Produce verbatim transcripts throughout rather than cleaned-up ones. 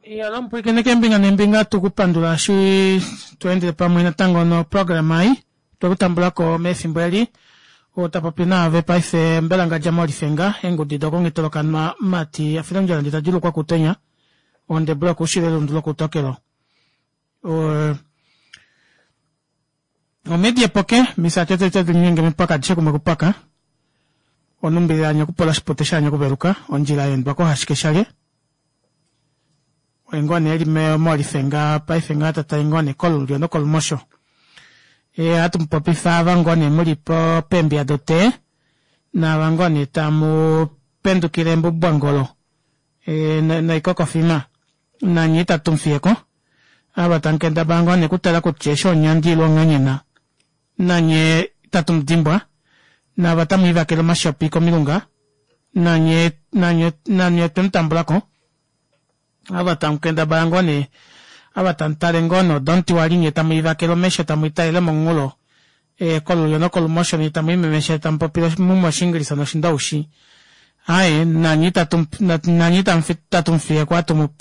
Iyalo mpwiikine keembinga neembinga tukupandula eshi tweendele pamwe natango noprograma ei twekutambulako mefimbo eli oo tapopi naave paife Mbelangandja Molife eengudi dokongitolokanwa mati afilondjala ndee tadilukwa kutenya ondebula yokuushilo elundu lokuutokelo omedi epoke misati tadilinyenge mepaka adishe kumwe kupaka onumbilila anya okupola oshipute shaanya okuveluka ondjila yaendwa kohashike shalye oye ngoo nee eli molifenga paife ngaha tatale ngoo nee kolulyo nokolumosho ohatu mupopifa ava ngoo nee muli peembiya dotee naava ngoo nee tamu pendukile embubwangolo noikokofima nanye ita tumufiyeko ava tamukendabala ngoo nee okutala kutya eshi onyandi ile onghanyena nanye ita tumudimbwa naava tamwiivakele omashopi komilunga nanye nanye nanye otwemutambulako ava tamukendabala ngoo nee ava tamutale ngoo nee odomuti nye tamwiivakele omesho tamwiitalele momunghulo kolulyo nokolumosho nyee tamwiimemesha tamupopile mumwe oshingilisa noshindoushi aaye nanye nanye itatumufiyeko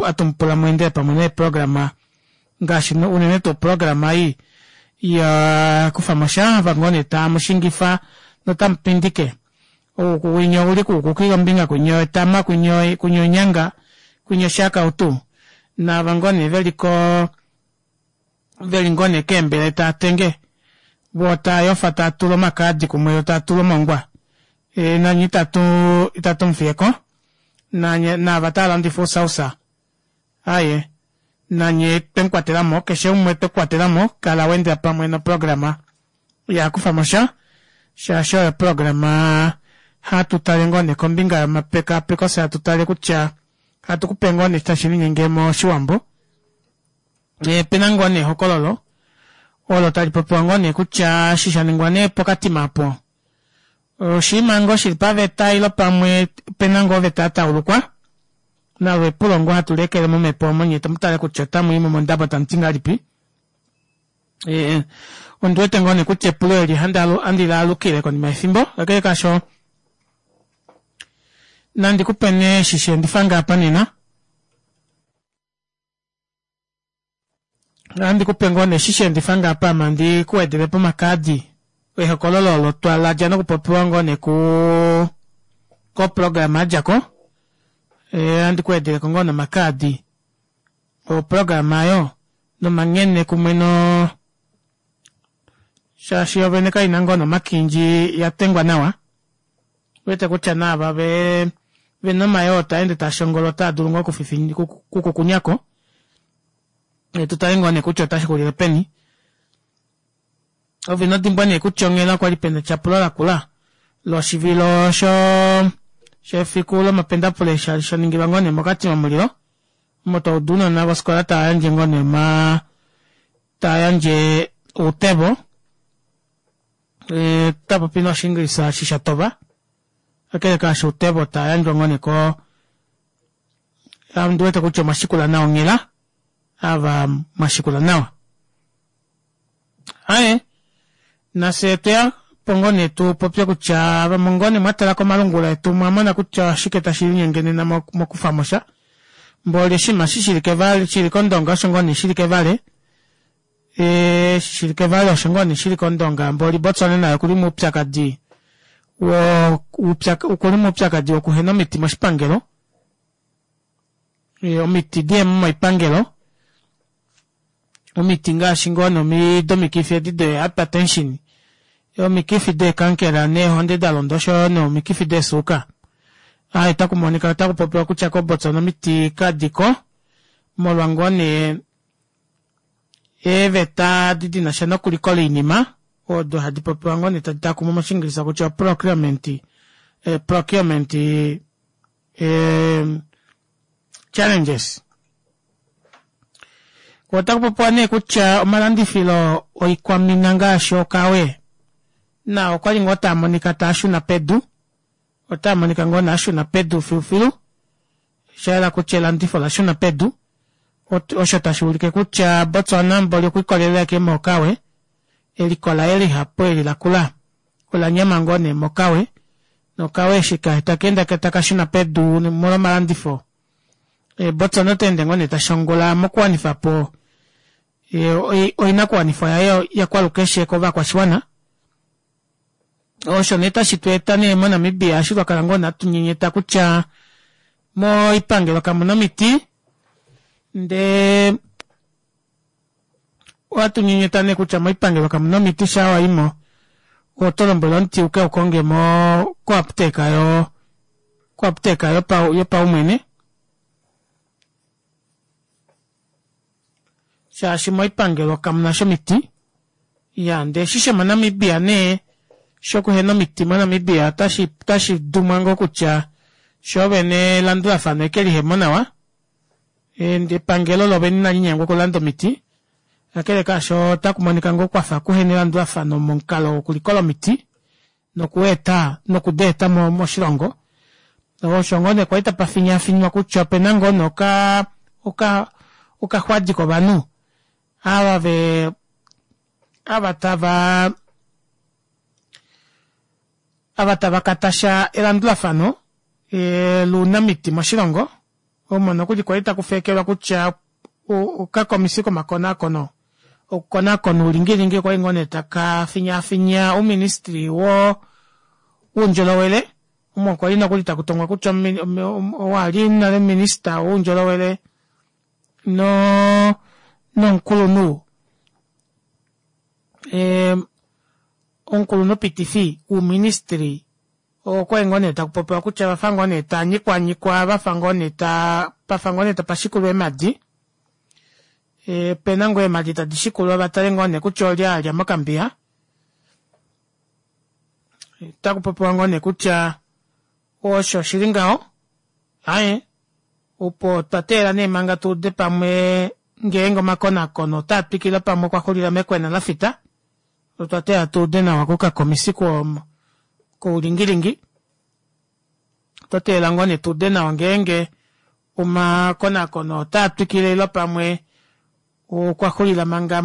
atumupula mweendele pamwe neeprograma ngaashi unene tuu oprograma ei yakufamosha ava ngoo nee tamushingifa notamupindike winya ouli kuukuki kombinga kwinya etama kwinya onyanga kwinya oshakautu naava ngoo nee veliko veli ngoo nee keembele taatenge voo taayofa taatula omakaadi kumwe yoo taatula omongwa nanye itatu itatu mufiyeko naava taalandifa ousausa aaye nanye twemukwatelamo keshe umwe twekukwatelamo kala waendela pamwe noprograma yakufamosha shaashi oyo oprograma hatu tale ngoo nee kombinga yomapekapeko fye hatu tale kutya hatu kupe ngoo nee tashi linyenge moshiwambo opena ngoo nee ehokololo olo tali popiwa ngoo nee kutya eshi shaningwa nee pokatima apo oshinima ngoo shili paveta ile pamwe opena ngoo oveta yataulukwa nalo epulo ngoo hatu lekele momepo omo nyee tamutale kutya otamwiimo mondabo tamuti ngahelipi ondiwete ngoo nee kutya epulo eli handi laalukile konima yefimbo kakele kaasho nandi kupe nee eshi sheendifa apa nena ohandi kupe ngoo nee eshi sheendifa apa ame handi kuwedelepo omakaadi ehokololo olo twaladja nokupopiwa ngoo nee kuu koprograma yadjako ohandi kuwedeleko ngoo nomakaadi oprograma aayo nomanghene kumwe noo shaashi yoovene kaina ngoo nomakindji yatengwa nawa ouwete kutya naava vena omayoo taende taashongola otaadulu ngoo okukukunyako tutale ngoo nee kutya otashixulile peni ove inodimbwa nee kutya onghela okwali pena etyapulo lakula loshivilo shefiku lomapendafule shaningilwa ngoo nee mokatima mulilo omo twauda ounona vofikola tava ngoo nee omaa tayandje outevo tapopi noshingilisa eshi shatova kakele kaasho outevo tayandjwa ngoo nee ko ondiwete kutya omwashikula nawa onghela ava mwashikula nawa aaye nafye otweya po ngoo nee tupopye kutya vamwe ngoo nee mwatala komalungula etu omwamona kutya oshike tashi linyenge nena mokufamosha mboli oshinima eshi shili kevale shili kondonga osho ngoo nee shili kevale shili kevale osho ngoo nee shili kondonga mboli Botswana naye okuli moupyakadi okuli moupyakadi wokuhena omiti moshipangelo omiti dihemo moipangelo omiti ngaashi ngoo nee domikifi edi de hypertension omikifi deekankela neehonde dalonda oshoyo nomikifi deesuuka aaye otakumonika otakupopiwa kutya ko Botswana omiti kadiko molwa ngoo nee eeveta edi dinasha nokulikola oinima odo hadi popiwa ngoo nee tadi takumwa moshingilisa kutya procurement procurement challenges otakupopiwa nee kutya omalandifilo oikwamina ngaashi okawe nao okwali ngoo taamonika taashuna pedu otaamonika ngoo nee ashuna pedu filufilu shayela kutya elandifo olashuna pedu osho tashi ulike kutya Botswana mboli okwiikolelela ashike mokawe eliko laye lihapu eli lakula olanyama ngoo nee mokawe nokawe eshi takeenda takashuna pedu molwa omalandifo Botswana otaende ngoo nee tashongola mokuwanifapo oinakuwanifwa yaye yakwalukeshe kovakwashiwana osho nee tashi tweeta nee mo Namibia eshi twakala ngoo nee hatunyenyeta kutya moipangelo kamuna omiti ndee ohatunyenyeta nee kutya moipangelo kamuna omiti shaa waimo otolombwelwa omuti ukeukonge moo ko aputeka yoo ko aputeka yopaumwene shaashi moipangelo kamunasha omiti iyaa ndee eshi shomo namibia nee shokuhena omiti mo namibia otashi dumwa ngoo kutya shoovene elandulafano ashike lihemo nawa epangelo loovene inalinyengwa okulanda omiti kakele kaasho ota kumonika ngoo kwafa kuhena elandulafano momukalo wokulikola omiti nokweeta noku deeta moshilongo osho ngoo nee kwali tapafinyaafinywa kutya opena ngoo nee oka oka okaxwadi kovanhu ava vee ava tava ava tava katasha elandulafano lounamiti moshilongo omo nokuli kwali taku feekelwa kutya okakomisi komakonaakono okukonaakona oulingilingi okwali ngoo nee taka finyaafinya ouministry woo woundjolowele omo kwali nokuli takutongwa kutya ou ali nale minister woundjolowele noo nomukulunhu omukulunhu pitifi wouministry okwali ngoo nee takupopiwa kutya ovafa ngoo nee taanyikwanyikwa vafa ngoo nee taa pafa ngoo nee tapashikulwa eemadi opena ngoo eemadi tadi shikulwa vatale ngoo nee kutya olye alya mokambiya otakupopiwa ngoo nee kutya osho shili ngaho aaye opo twateelela nee manga tuude pamwe ngeenge omakonaakono otaatwikile pamwe okwaxulila mekwena lafita otwa teelela tuude nawa kokakomisi koulingilingi otwa teelela ngoo nee tuude nawa ngeenge omakonaakono otaatwikile ile pamwe okwaxulila manga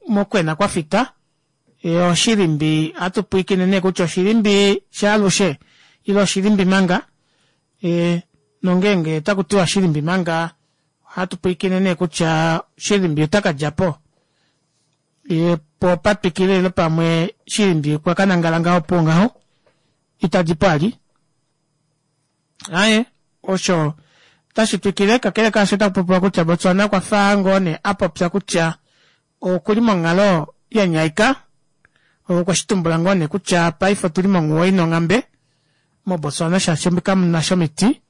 mokwena kwafita oshilimbi ohatupwiikine nee kutya oshilimbi shaalushe ile oshilimbi manga nongeenge otakutiwa shilimbi manga ohatu pwiikine nee kutya shilimbi otakadjapo poo patwikile ile pamwe shilimbi okwakanangala ngaho opuwo ngaho itadipo vali aaye osho otashi twikile kakele kaasho otakupopiwa kutya Botswana okwafa ngoo nee apopya kutya okuli monghalo yanyaika okweshitumbula ngoo nee kutya paife otuli monghuwo ina onghambe mo Botswana shaashi kamunasha omiti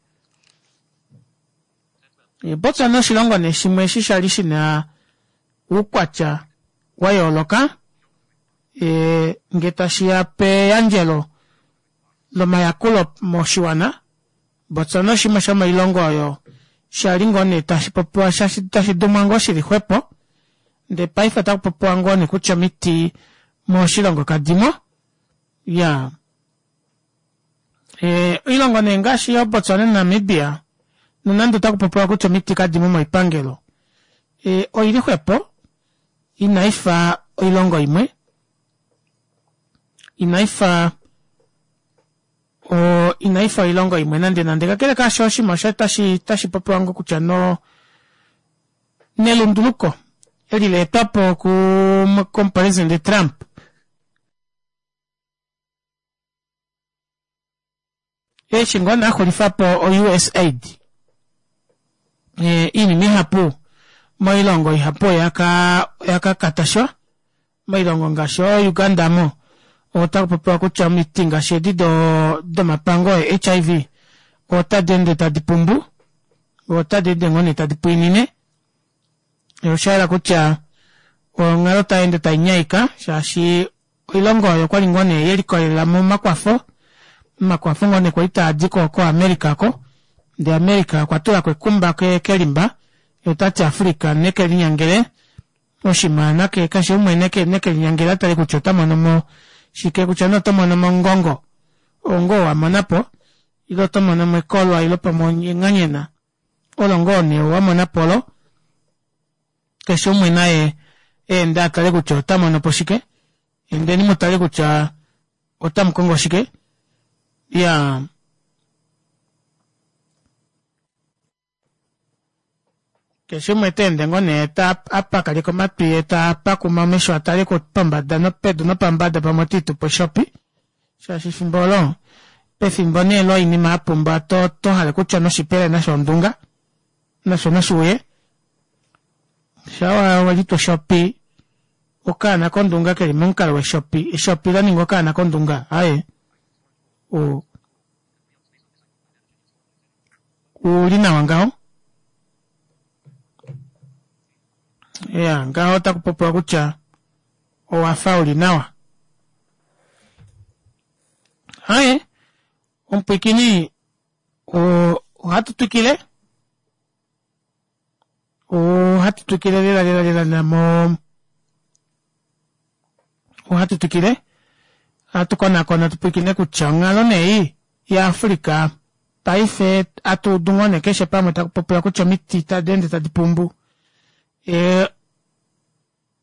Botswana oshilongo nee shimwe eshi shali shina oukwatya wayooloka ngee tashiya peyandjelo lomayakulo moshiwana Botswana oshimwe shomoilongo oyo shali ngoo nee tashipopiwa tashi dumwa ngoo shili xwepo ndee paife otakupopiwa ngoo nee kutya omiti moshilongo kadimo iyaa oilongo nee ngaashi yoo Botswana na Namibia nonande otakupopiwa kutya omiti kadimo moipangelo oili xwepo inaifa oilongo imwe inaifa inaifa oilongo imwe nande nande kakele kaasho oshinima osho tashi popiwa ngoo kutya no nelunduluko eli laetwapo komupresident Trump eshi ngoo nee axulifapo o U S Aid oinima ihapu moilongo ihapu oyaka katashwa moilongo ngaashi oo Uganda omo otakupopiwa kutya omiti ngaashi edi domapango e H I V otadi ende tadi pumbu otadi ende ngoo nee tadi pwiinine oshayela kutya onghalo tayeende tainyaika shaashi oilongo oyo okwali ngoo nee yelikolelela momakwafo omakwafo ngoo nee kwali taadi ko America oko ndee America okwa tulako ekumba kelimba yee otati Africa nekelinyangele oshinima keshe umwe nekelinyangele atale kutya otamonomo shike kutya nee otomonomo omungongo oo ngoo wamonapo ile otomonomo ekolwa ile pamwe enganyena olo ngoo nee wamonapo olo keshe umwe naye eende atale kutya otamonopo shike indeni mutale kutya otamukongo shike iyaa. Keshe umwe teende ngoo nee apakaleka omatwi yee tapakuma omesho atale pombada nopedu nopambada pamwe otiitupo eshopi shaashi efimbo oolo pefimbo nee loinima yapumba otohale kutya noshipele nasho ondunga nasho nashuuye shaa welitwa eshopi okaana kondunga keli momukalo weshopi eshopi laninga okaana kondunga aaye ouli nawa ngaho iya ngaho otakupopiwa kutya owafa uli nawa aaye omupwiikini ohatu twikile ohatu twikile lela lela lela mo ohatu twikile ohatu konakona tupwiikine kutya onghalo nee yaAfrica paife atuudu ngoo nee keshe pamwe takupopiwa kutya omiti tadi ende tadi pumbu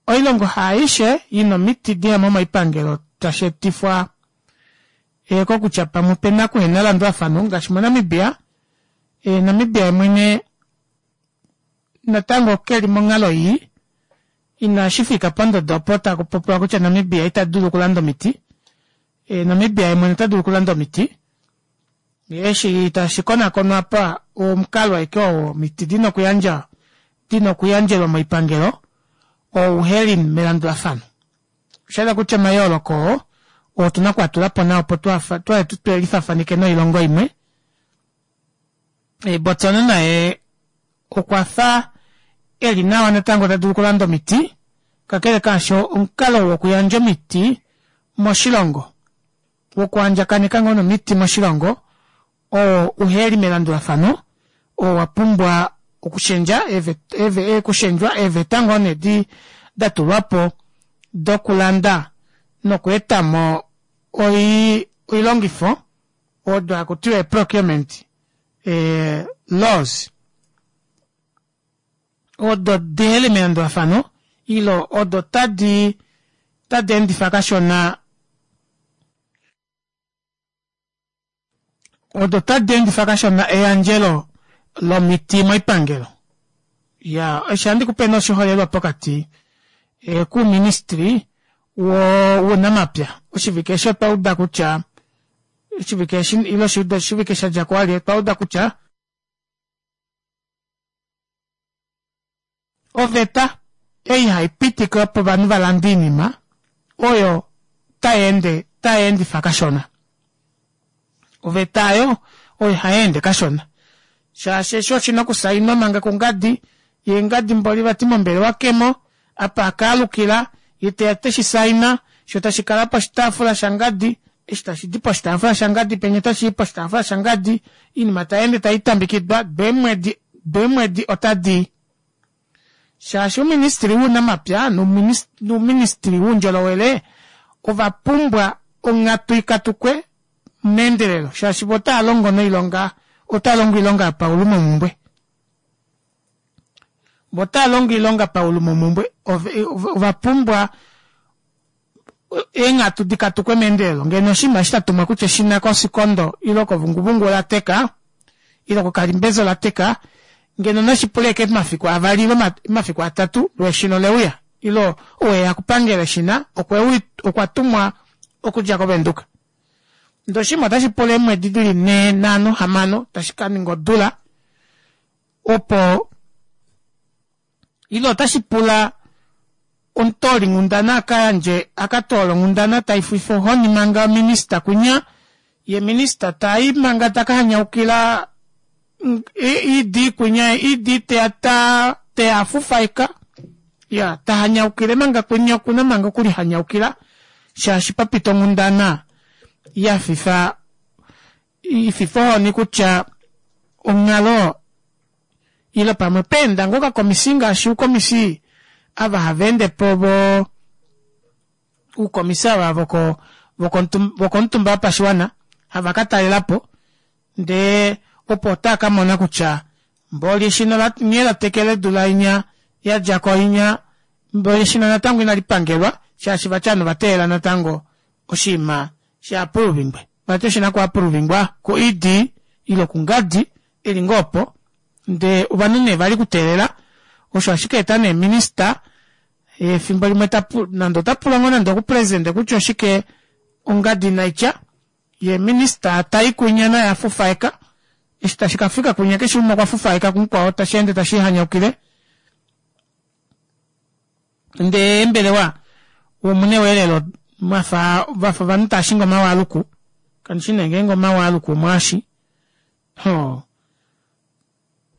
oilongo haaishe ina omiti diya moipangelo tashi etifwa kokutya pamwe opena okuhena elandulafano ngaashi moNamibia Namibia yemwene natango keli monghalo ii inashifika pondodo opo takupopiwa kutya Namibia ita dulu okulanda omiti Namibia yemwene ota dulu okulanda omiti eshi tashi konakonwa apa omukalo ashike oo omiti dina okuyandja dina okuyandjelwa moipangelo oo uheli melandulafano oshahala kutya omayooloko oo otuna okuatulapo nawa opo twelifafanike noilongo imwe Botswana naye okwafa eli nawa natango tadulu okulanda omiti kakele kaasho omukalo wokuyandja omiti moshilongo wokuandjakaneka ngoo nomiti moshilongo oo uheli melandulafano oo wapumbwa okushendja okushendjwa eeveta ngoo nee datulwapo dokulanda nokweetamo oilongifo odo hakutiwa ee procurement laws odo diheli melandulafano ile odo tadi tadi endifa kashona odo tadi endifa kashona eyandjelo lomiti moipangelo ya eshi ohandi nee oshiholelwa pokati kuuministry wounamapya oshivike eshi otwa uda kutya oshivike eshi ile oshivike shadjako wali otwa uda kutya oveta ei haipitike opo ovanhu valande oinima oyo tayeende tayeendifa kashona oveta aayo oyo hayeende kashona shaashi eshi oshina okusainwa manga kungadi yee ngadi mboli vati mombelewa kemo apa akaalukila yee teya teshi saina shoo tashikala poshitaafula shangadi eshi tashidi poshitaafula shangadi penya otashii poshitaafula shangadi oinima tayeende taitambekidwa deemwedi deemwedi otadii shaashi ouministry wounamapya nouministry woundjolowele ovapumbwa onghatu ikatukwe meendelelo shaashi vo otava noilonga otava longo oilonga yopaulumomumbwe vo otava longo oilonga paulumomumbwe ovapumbwa eenghatu dikatukwe meendelelo ngeno oshinima eshi shatumwa kutya eshina kosikondo ile kovunguvungu olateka ile kokalimbezo olateka ngeno nashipule ashike omafiku avali ile omafiku atatu loo eshina oleuya ile ou okupangela eshina okwa tumwa okudja kovenduka ndee oshinima otashi pula eemwedi dili nhee nhano hamano tashi kaninga odula opo ile otashi pula omutoolinghundana akayandje akatoole onghundana taififa ohoni manga minista kunya ye minista tai manga taka hanyaukila ED kunya ED teya ta teya afufaika ya tahanyaukile manga kunya okuna manga okulihanyaukila shaashi papita onghundana yafifa ififa ohoni kutya onghalo ile pamwe peenda ngoo okakomisi ngaashi uukomisi ava hava po vo uukomisi ava voko vokomutumba wopashiwana hava katalelapo ndee opo otaa kamona kutya mboli eshina nghee latekele odula inya yadjako inya mboli eshina natango inalipangelwa shaashi vati ovanhu ovateelela natango oshinima shaapuluvingwe vati eshina kuapuluvingwa ku ED ile kungadi eli ngoo opo ndee ovanhu nee vali kuteelela Osho ashike eta nee minister efimbo limwe tapu nande ota pula ngoo nande okupresidente kutya oshike ongadi inaitya yee minister tai kwinya naye afufaeka eshi tashi kafika kwinya keshe umwe okwa fufaeka kumukwao tasheende tashiihanyaukile ndee eembelewa omune welelo mwafa vafa ovanhu taashingi omawaaluku kandishi nee ngeenge omawaaluku omwaashi hoo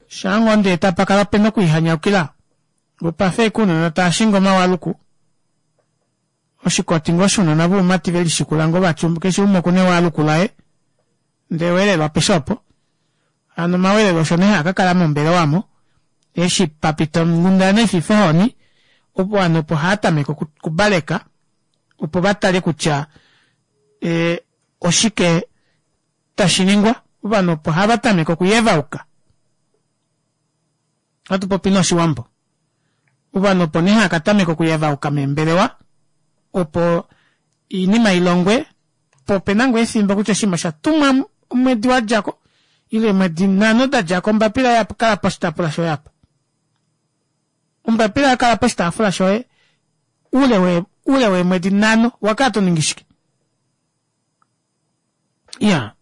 shaangoo ndee tapakala pena okwiihanyaukila opafa ashike ounona taashingi omawaaluku oshikoti ngoo shounona voumati velishikula ngoo vati keshe umwe okuna ewaaluku laye ndee welelo apeshe opo hano omawelelo osho nee haakakala mombelewa aamo eshi papita onghundana ififa ohoni ovanhu opo haatameke okubaleka opo vatale kutya ee oshike tashiningwa ovanhu opo havatameke okuyevauka ohatupopi nee oshiwambo ovanhu opo nee haakatameka okuyevauka meembelewa opo oinima ilongwe poo opena ngoo efimbo kutya oshinima oshatumwa omwedi wadjako ile eemwedi nhano dadjako ombapila yakala poshitaafula shoye aapa ombapila yakala poshitaafula shoye oule oule weemwedi nhano owakala toningi shike iyaa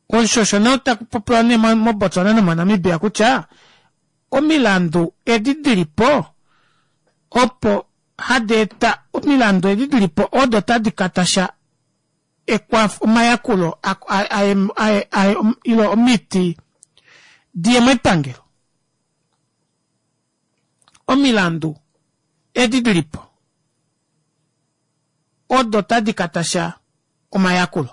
osho osho nee takupopiwa nee mo Botswana nomo Namibia kutya omilandu edi dilipo opo hadi eta omilandu edi dilipo odo tadi katasha ekwafo omayakulo ile omiti diye moipangelo omilandu edi dilipo odo tadi katasha omayakulo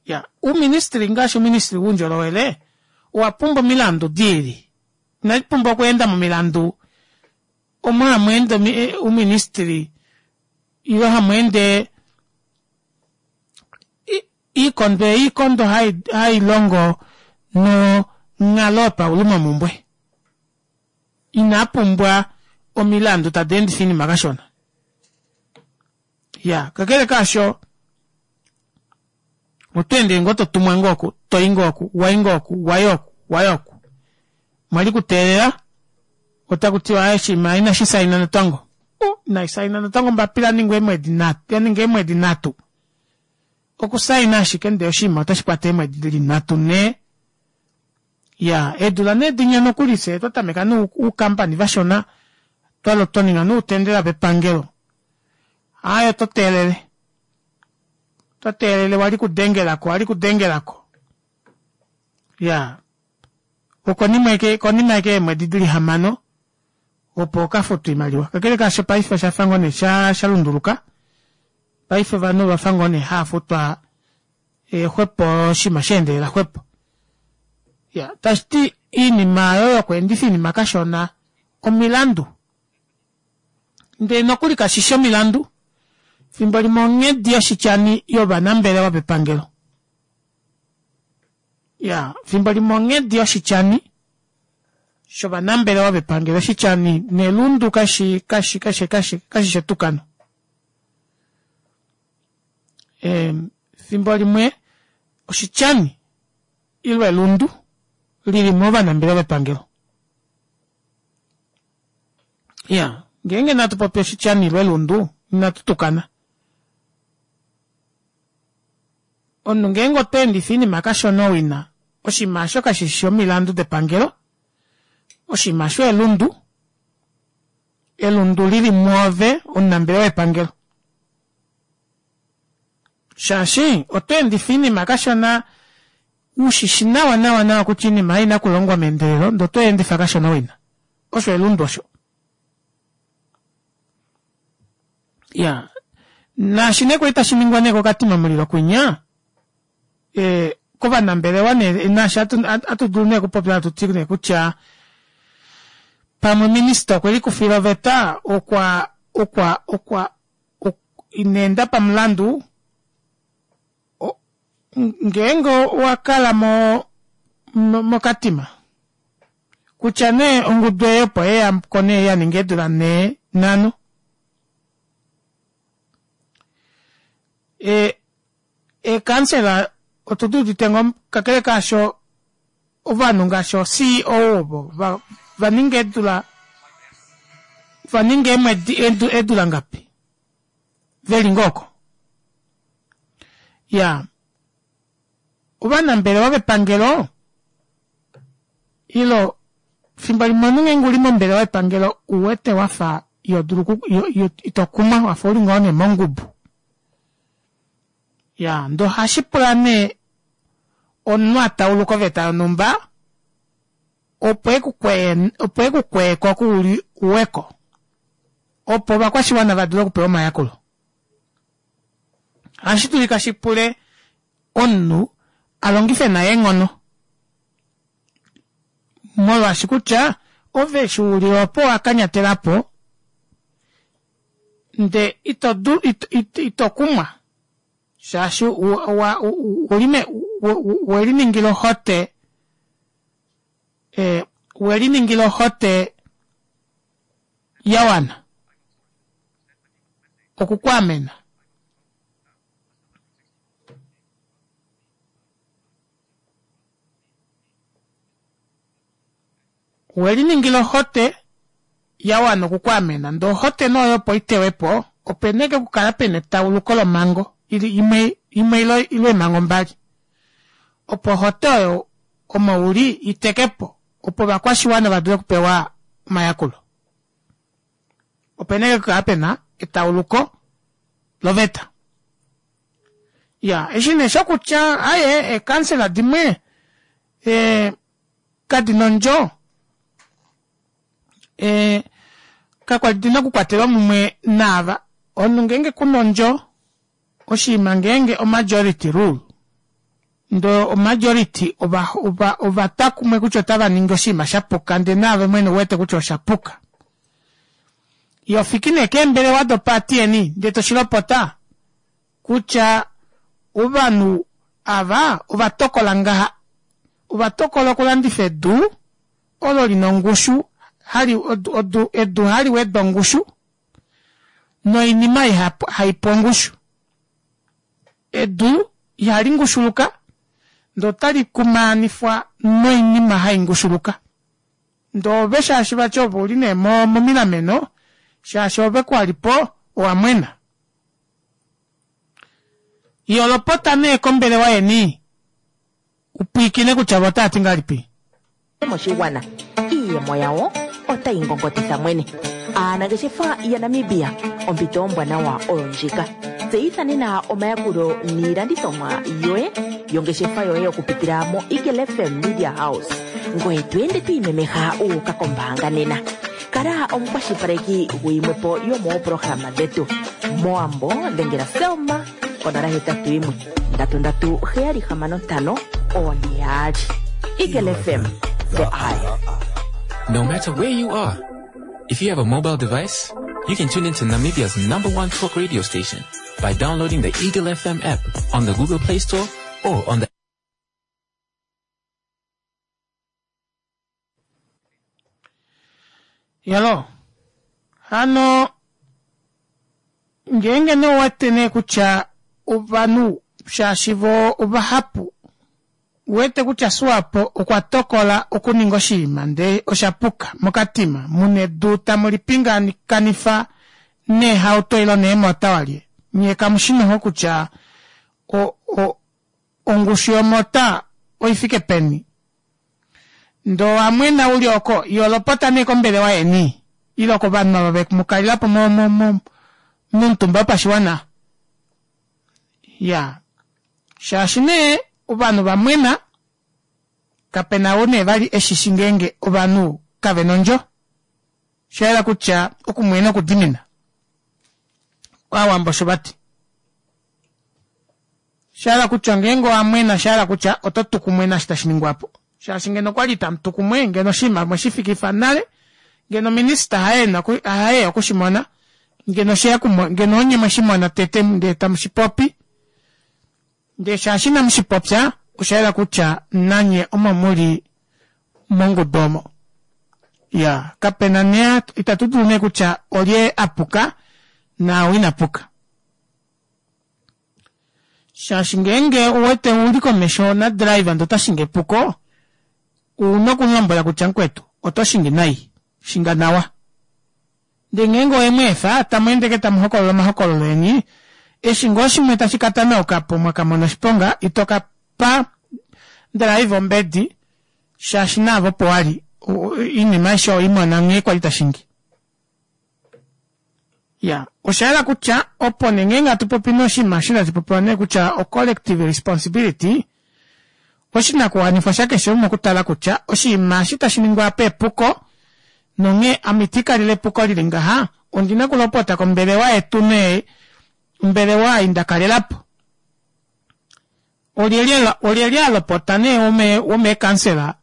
ya ouministry ngaashi ouministry woundjolowele owapumbwa omilandu diili inaipumbwa okweenda momilandu omo hamweende ouministry ile hamweende iikondo iikondo hailongo nonghalo yopaulumomumbwe inapumbwa omilandu tadi endifa oinima kashona iya kakele kaasho otweende ngoo totumwa ngoo oku toyi ngoo oku wayi ngoo oku wayi oku wayi oku mwali kuteelela otakutiwa aaye oshinima inashi sainwa natango inaisainwa natango ombapila yaningwa eemwedi nhatu yaninga eemwedi nhatu okusaina ashike ndee oshinima otashikwata eemwedi dili nhatu nhee iyaa eedula nee dinya nokuli fyee twatameka nee oukampani vashona twaninga nee outendela vepangelo aaye oto teelele oto teelele wali kudengelako wali kudengelako iyaa okonima ashike konima ashike yeemwedi dili hamano opo okafutwe oimaliwa kakele kaasho paife oshafa ngoo nee shalunduluka paife ovanhu ovafa ngoo nee haafutwa xwepo oshinima sheendelela xwepo iya tashiti oinima aayo yokweendifa oinima kashona omilandu ndee nokuli kashishi omilandu efimbo limwe onghedi yoshityani yovanambelewa vepangelo iya efimbo limwe onghedi yoshityani shovanambelewa vepangelo oshityani nelundu kashi kashi kashi kashi kashishi etukano efimbo limwe oshityani ile elundu lili movanambelewa vepangelo iya ngeenge nee hatupopi oshityani ile elundu inatu tukana omunhu ngeenge otweendifa oinima kashona owina oshinima aasho kashishi omilandu depangelo oshinima aasho elundu elundu lili mwoove omunambelewa wepangelo shaashi otweendifa oinima kashona ushishi nawa nawa nawa kutya oinima ei oina okulongwa meendelelo ndee otweendifa kashona owina osho elundu osho iyaa naashi nee kwali tashiningwa nee kokatima mulilo kwinya ee kovanambelewa nee naashi atudulu nee okupopya hatuti nee kutya pamwe minister okwelikufila oveta okwa okwa okwa inaenda pamulandu ngeenge owakala mo mokatima kutya nee ongudu ei opo yeyako nee yaninga eedula nhee nhano ee eekansela otuduudite ngoo kakele kaasho ovanhu ngaashi o C E O ovo vaninga eedula Ova ninga eemwedi eedula ngapi veli ngoo oko. Iyaa ovanambelewa vepangelo ile efimbo limwe omunhu ngenge uli mombelewa yepangelo ouwete wafa ihodulu itokumwa wafa uli ngoo nee mongubu. Iyaa ndee ohashipula nee omunhu atauluke oveta yonumba opo opo ekukweyeko oko uli uweko opo ovakwashiwana vadule okupewa omayakulo. Ohashidulika shipule omunhu alongife nai eenghono molwaashi kutya ove eshi uli opo owakanyatelapo ndee ito ito kumwa shaashi oweliningila ohote oweliningila ohote yawana oku kwaamena. Oweliningila ohote yawana oku kwaamena ndee ohote nee oyo opo itewepo opena ashike okukala pena etauluko lomhango imwe ile eemhango mbali opo ohote oyo omo uli itekepo opo ovakwashiwana vadule okupewa omayakulo. Opena ashike okukala pena etauluko loveta. Iyaa eshi nee shokutya aaye ee councillor dimwe ee kadina ondjo ee kakwali dina okukwatelwa mumwe naava omunhu ngeenge kuna ondjo oshiima ngeenge o majority rule ndee o majority ovatwa kumwe kutya otavaningi oshinima shapuka ndee naave mwene ouwete kutya oshapuka ihofiki nee keembelewa do party yeni ndee toshilopota kutya ovanhu ava ovatokola ngaha ovatokola okulandifa edu olo lina ongushu edu haliweda ongushu noinima haipu ongushu. Edu ihali ngushuluka ndee otali kumaanifwa noinima haingushuluka ndee ove shaashi vati ove ouli nee momilameno shaashi oove kwalipo owamwena. Iholopota nee kombelewa yeni upwiikine kutya voo otaati ngahelipi. Moshigwana, iiyemo yawo otayi ngongotitha mwene. Aanangeshefa yaNamibia, ompito ombwanawa oyo ndjika. Tseyitha nena omayakulo niilandithomwa yoye yongeshefa yoye okupitila moEagle F M Media House. Ngoye to ende to imemeha wu uka kombaanga nena. Kala omukwashilipaleki guyimwe po yomoopolohalama dhetu. Mowambo dhengela Selma konola hetatu yimwe ndatu ndatu heyali hamano ntano oone yaali. Eagle F M, the eye. No matter where you are, if you have a mobile device, you can tune into Namibia's number one talk radio station by downloading the Eagle F M app on the Google Play Store or on the Iyaloo hano ngeenge nee ouwete nee kutya ovanhu shaashi voo ovahapu uwete kutya Swapo okwa tokola okuninga oshinima ndee oshapuka mokatima muna edu tamu lipingakanifa neehauto ile neemota walye nyee kamushi noho kutya o- o- ongushu yomota oifike peni ndee owamwena uli oko iholopota nee kombelewa yeni ile kovanhu ava vemukalelapo momutumba wopashiwana iyaa shaashi nee ovanhu vamwena kapena ou nee vali eshishi ngeenge ovanhu kavena ondjo oshayela kutya okumwena okudimina ovawambo osho vati oshahala kutya ngeenge owamwena oshahala kutya oto tu kumwe naashi tashiningwapo shaashi ngeno okwali itamutu kumwe ngeno oshinima mweshifikifa nale ngeno minister haye okushimona ngeno osheya ngeno onye mweshimona tete ndee tamushipopi ndee shaashi inamushipopya oshayela kutya nanye omo muli mongudu omo. Iyaa kapena nee itatu dulu nee kutya olye apuka naau inapuka. Shaashi ngeenge ouwete uli komesho na driver ndee otashingi epuko ouna okumulombwela kutya mukwetu oto shingi nai shinga nawa. Ndee ngeenge owe mu efa, tamu ende ke tamu hokolola omahokololo eni, eshi ngoo shimwe tashi ka tanauka po mwa ka mona oshiponga, ito ka pa drive ombedi shaashi naave opo wali oinima aishe oweimona nghee kwali tashingi. Ya, osha yela kutya opo nee ngeenge hatu popi nee oshinima eshi tashi popiwa nee kutya o collective responsibility, oshinakuwanifwa shakeshe umwe okutala kutya oshinima eshi tashi ningwa apa epuko nonghee ame itiikalele epuko lili ngaha, ondina okulopota kombelewa yetu nee ombelewa ei ndakalelapo. Olyelye olyelye alopota nee womeekansela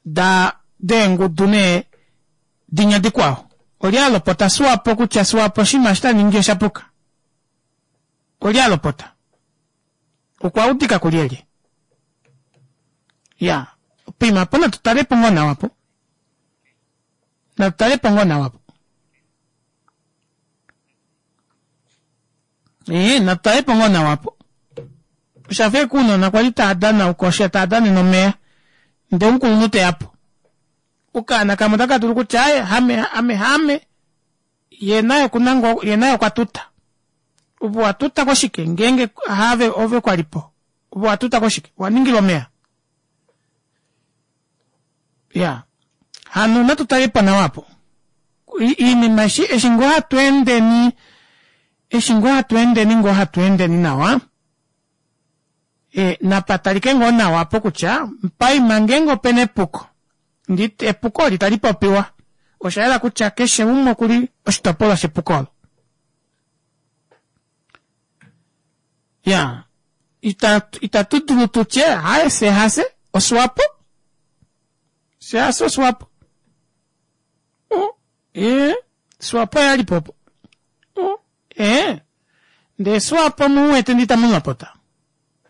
da deengudu nee dinya dikwao olye alopota Swapo kutya Swapo oshinima eshi taningi oshapuka olye alopota okwa udika kulyelye ya poima apo natu talepo ngoo nawa apo natu talepo ngoo nawa apo ee natu talepo ngoo nawa apo oshafa ashike ounona kwali tava danauka osha tava danene omeya ndee omukulunhu teyapo okaana kamwe otaka dulu kutya aaye ame ame haame yee naye okuna ngoo yee naye okwa tuta ove owatuta koshike ngeenge haave ove kwalipo ove owatuta koshike owaningilwa omeva iyaa hano natu talepo nawa aapo iinima eshi eshi ngoo hatweendeni eshi ngoo hatweendeni ngoo hatweendeni nawa e napatalike ngoo nawa aapo kutya paima ngeenge opena epuko ndee epuko olo itali popiwa oshayela kutya keshe umwe okuli oshitopolwa shepuko olo. Iyaa ita tudulu tutye aaye fyee hafye oswapo fyee hafye oswapo ee swapo oye alipo opo ee ndee swapo omuwete ndee itamulopota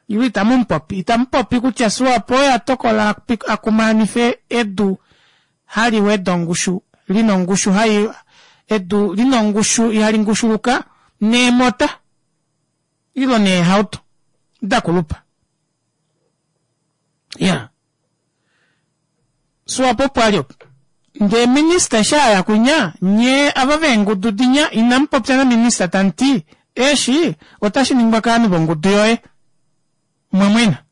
ile itamupopi itamupopi kutya swapo oye atokola akumaanife edu hali weda ongushu lina ongushu hai edu lina ongushu ihali ngushuluka neemota ile neehauto dakulupa iyaa swapo opo ali opo ndee minister eshi aya kwinya nyee ava veengudu dinya inamupopya naminister tamuti eshi otashiningwa kovanhu vongudu yoye omwamwena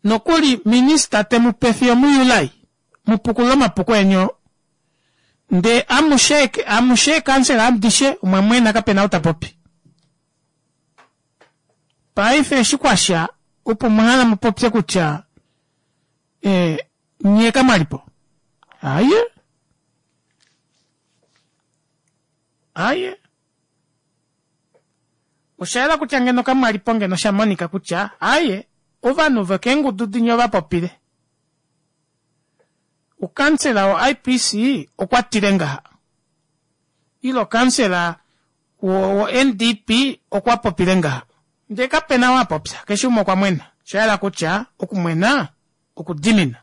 nokuli minister temupe fiyo mu july mupukulule omapuko eni oo ndee amushe amushe eekansela adishe omwamwena kapena ou tapopi paife eshi kwasha opo mwahala mupopye kutya ee nyee kamwalipo aaye aaye oshayela kutya ngeno kamwalipo ngeno oshamonika kutya aaye ovanhu vokeengudu dinya ovapopile ukansela wo I P C okwatile ngaha ile okansela wo N D P okwa popile ngaha ndee kapena ou apopya keshe umwe okwa mwena oshayela kutya okumwena okudimina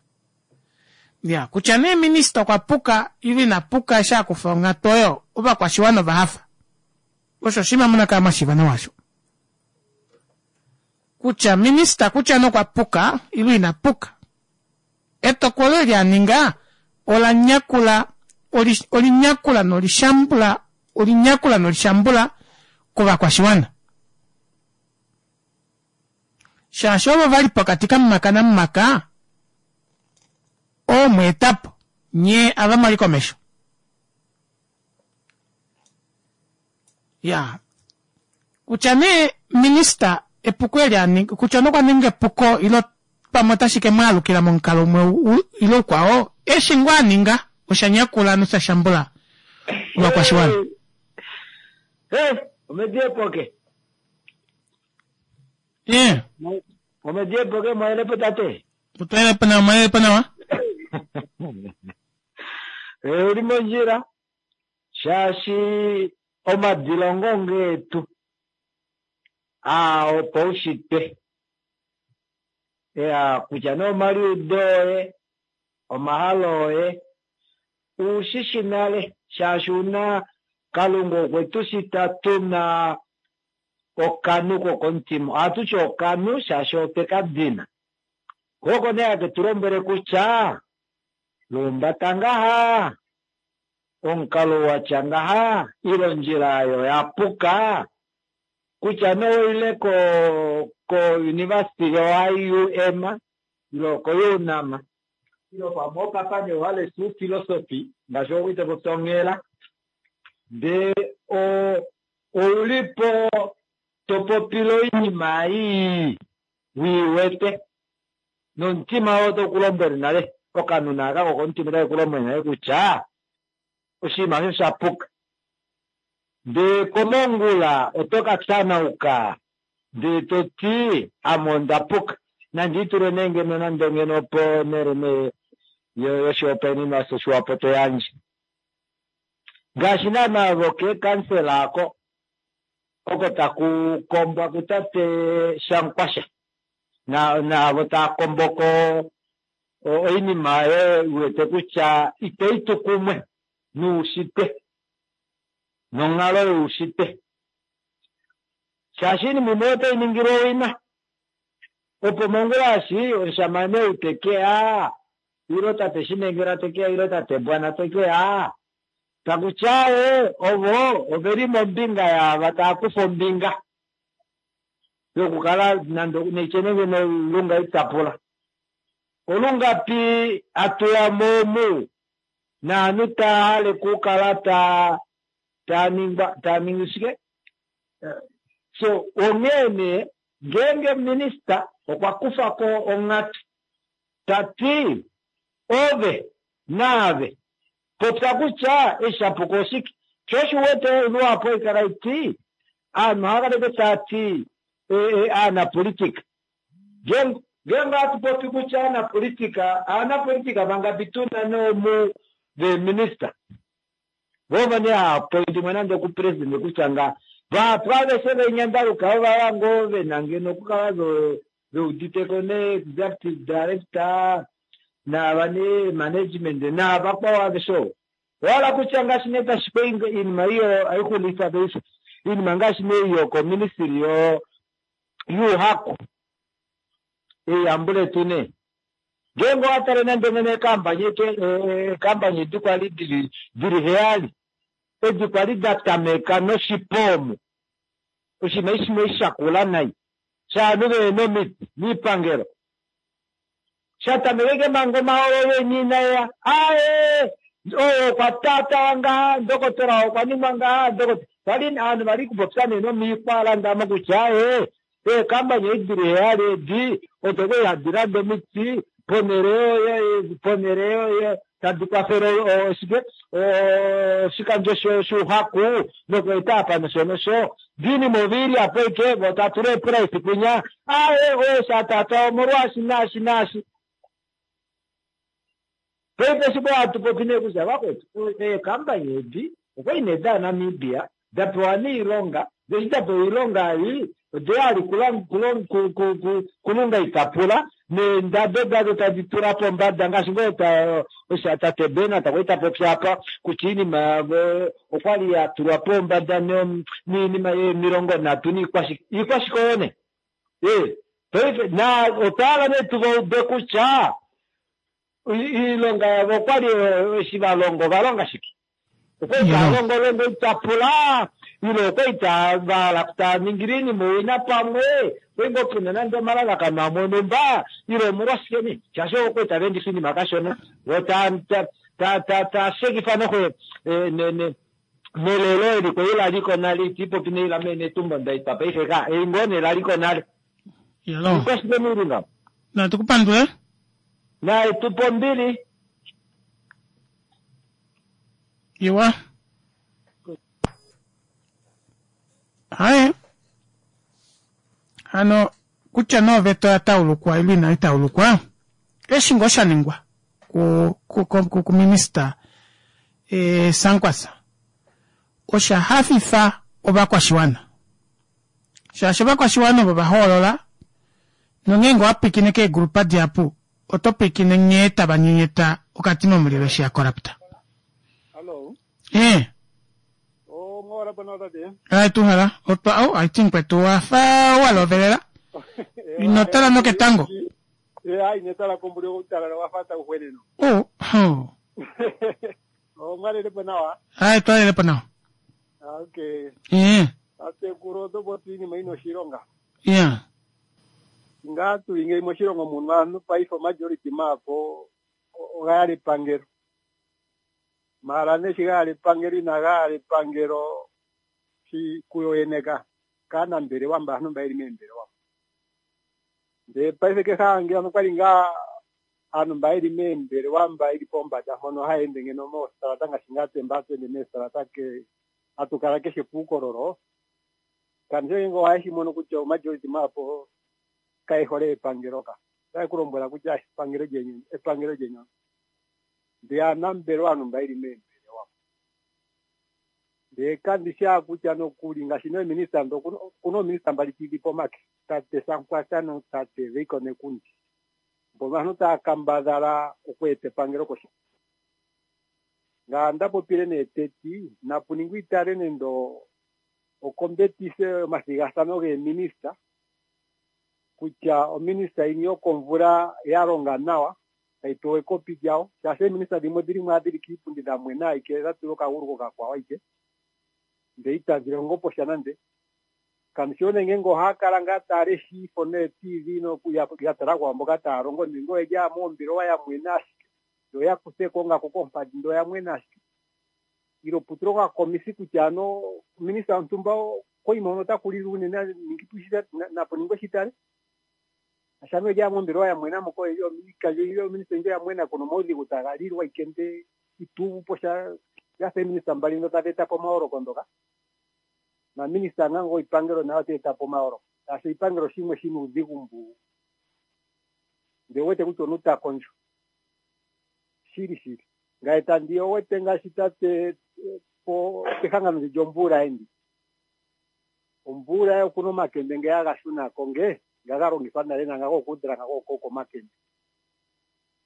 ya kutya nee minister okwa puka ile inapuka eshi akufa onghatu oyo ovakwashiwana ovahafa osho oshinima muna kala mwashiiva nawa osho kutya minister kutya nokwa puka ile inapuka etokolo eli aninga ola nyakula olinyakula nolishambula olinyakula nolishambula kovakwashiwana shaashi ovo vali pokati kamumaka namumaka oo mweetapo nyee ava mwali komesho ya kutya nee minister epuko eli aninga kutya nokwa ninga epuko ile pamwe otashi ke mwaalukila momukalo umwe ile ukwao eshi ngoo aninga osha nyakula nosha shambula ovakwashiwana. Hey, omedi epoke. Eh. Omedi epoke mwayelepo tate. Otwayelepo nawa, mwayelepo nawa. Eh, uli mondjila shaashi omadilongo ngeetu aa opaushitwe ya kutya nee omaliudo oye omahalo oye ushishi nale shaashi una Kalunga okwe tu shita tuna okanhu kokomutima. Ohatu ti okanhu shaashi otwe ka dina. Ko oko nee hake tu lombwele kutya lumbata ngaha, Omukalo watya ngaha ile ondjila oyo ya puka kutya noile ko ko university yo I U M ile ko UNAM ile pamwe okapane wale su philosophy ngaashi okuite popya onghela ndee oulipo topopile oinima ii wiiwete nomutima oo tokulombwele nale okanona aka kokomutima otake kulombwele nale kutya oshinima osho sha puka ndee komongula oto ka tanauka ndee toti ame onda puka nandi itule nee ngeno nande ngeno ponhele nee yoshihopaenenwa shoshiwapo to yandje ngaashi naana vokeekansela ako oko taku kombwa kutate Shankwasha naavo taa komboko oinima oyo uwete kutya itayi tu kumwe nuushitwe nonghalo youshitwe shaashi iinima imwe otayi ningilwa owina opo mongula eshi omushamane ou tekeya ile tate Shinengela tekeya ile tate Bwana tekeya takutya ee ovo oveli mombinga yaava taa kufa ombinga yokukala nande neitye ngeno lunga itapula olungapi atuya momu naanhu taahale kukala taa taaningwa taaningi shike. So onghee nee ngeenge minista okwa kufa ko onghatu tati ove naave popya kutya eshi shapuka oshike sho osho uwete luhapu haikala iti aanhu ohava kala taati aanapolitika ngeenge ohatu popi kutya aanapolitika aanapolitika vangapi tuna nomu veeminista vovo nee haapointimwe nande okupresident kutya nga vahapu aveshe venyandaluka ovava ngoo vena ngeno okukala veuditeko ne executive director naava ne management naavakwao aveshe ovo wala kutya ngaashi nee tashipe iinima iyo aixulifa paife iinima ngaashi nee iyo koministry yo yuuhaku eyambuletu nee ngeenge owatale nande ngeno eekambany eekambany edi kwali dili dili heyali edi kwali datameka noshipomu oshinima eshi shakula nai shaanhu vehena omiti miipangelo shatameke manga omahololo eni inaeya ae oyo okwa tatawa ngaha ndokotola okwa ningwa ngaha ndokotola vali aanhu vali kupopya nee nomiikwa kutya ee eekambany edi dili heyali edi odo kwali hadi landa omiti ponhele ponhele yoye tadi kwafele oshike oshikandjo shuuhaku nokweeta apa nosho nosho diinima ovili apo ike vo tatula eeprice kwinya ae oyo shatatwa omolwaashi naashi naashi paife eshi hatu popi nee kutya vakwetu eekambany edi okwali nee daNamibia dapewa niilonga deshi dapewa iilonga ei odeyali kulunga itapula neendado dado tadi tula pombada ngaashi ngoo tate Bernard kwali tapopi apa kutya iinima yavo okwali yatulwa pombada niinima yemilongo nhatu niikwashike iikwashike oyo nee ee paife na otwahala nee tuvaube kutya iilonga yavo okwali eshi valonga ovalonga shike okwali taalongo longo itapula ile okwali vahala taaningile iinima owina pamwe kwali ngoo puna nande omalalakano amwe onumba ile omolwashike nee shaashi okwali tavaendifa iinima kashona vo tashekifa noxo nelelo eli kwali laliko nale itiipopi neila Netumbo Ndaitwa paife ka ei ngoo nee laliko nale ikwashike niili ngaho. Natukupandule. Naetupo ombili. Iwa haye hano kutya nee oveta oya taulukwa ile inai taulukwa eshi ngoo sha ningwa kuminista e, Sankwasa osha hafifa ovakwashiwana shaashi ovakwashiwana ovo vahoolola nongeenge owapwiikine keegrupa dihapu oto pwiikine nghee tava nyenyeta okatima omulilo eshi ya korapta. Hello. Eh. Oh, mwawala bwana tate. Ai tuhala. Otwa oh, I think kwetu wafa walovelela. Inotala noketango. Eh, ai netala kombuli okutala wafa ta kuhweneno. Oh, oh. Omwalelepo nawa. Hayi twalelepo nawa. Okay. Ee. Tatekulu oto popi iinima yina oshilonga. Ya. Ngaa tuli ngeyi moshilongo muno aantu paife majority maako oga yala epangelo. Maala nee shi ga yala epangelo inaga yala epangelo shi kuyo yene ka kaanambelewa mba aantu mba yeli meembelewa. Ndee paife kehe ange ano kwali ngaa aantu mba yeli meembelewa mba yeli pombanda mpono haya ende ngeno moositola ngaashi ngaa tse mba hatu ende meesitola ke hatu kala keshe puukololo. Kandishi ngenge ohaye shi mono kutya omajority maapo kaye hole epangelo ka. Otaye ku lombwela kutya epangelo lyenyu epangelo lyenyu. Ndee aanambelewa aantu mba yeli meembelewa. Ndee kandishi kutya nokuli ngaashi neeminista ndo okuna oominista mbali tidhi pomake. Tate Sankwasa notate Veiko Nekundi. Mbono aantu taya kambadhala okweeta epangelo koshi. Ngaa nda popile nee teti napu ningwe itale nende okombetise omathigathano geeminista kutya ominista yini yokomvula ya longa nawa tayi pewa ekopi lyawo shaashi eeminista dhimwe odhili mo dhili kiipundi dha mwena ashike dha tulwa okagulu kokakwawo ashike ndele itadhi longo po sha nande. Kandishi nee ngenge ohaya kala ngaa taya lesha iifo nee-T V nokuya tala kwaamboka taya longo nenge oyeli owala moombelewa ya mwena ashike yo ya kuthe ko ongako koompadhi ndele oya mwena ashike. Ile pu tulwe okakomisi kutya ano minista wontumba koyima hono otaku lili unene napu ningwe shitale. Shaashi oyeli owala mombelewa ya mwena moka iikandjo ominista oyindji oya mwena kuna omaudhigu taga lilwa ashike ndele ito uvu po sha dhafa eeminista mbali ndho tadhi eta po omayooloko ndhoka. Naminista ngaa goipangelo naye ota eta po omayooloko shaashi oshipangelo shimwe shina uudhigu mbu ndele owuwete kutya omuntu ta kondjo. Shili shili. Ngaye tandi owete ngaashi tate po pehangano ndi lyomvula endi. Omvula okuna omakende ngeya ga shunako nge nga ga longithwa nale nanga gokudhila nga gokoko omakende.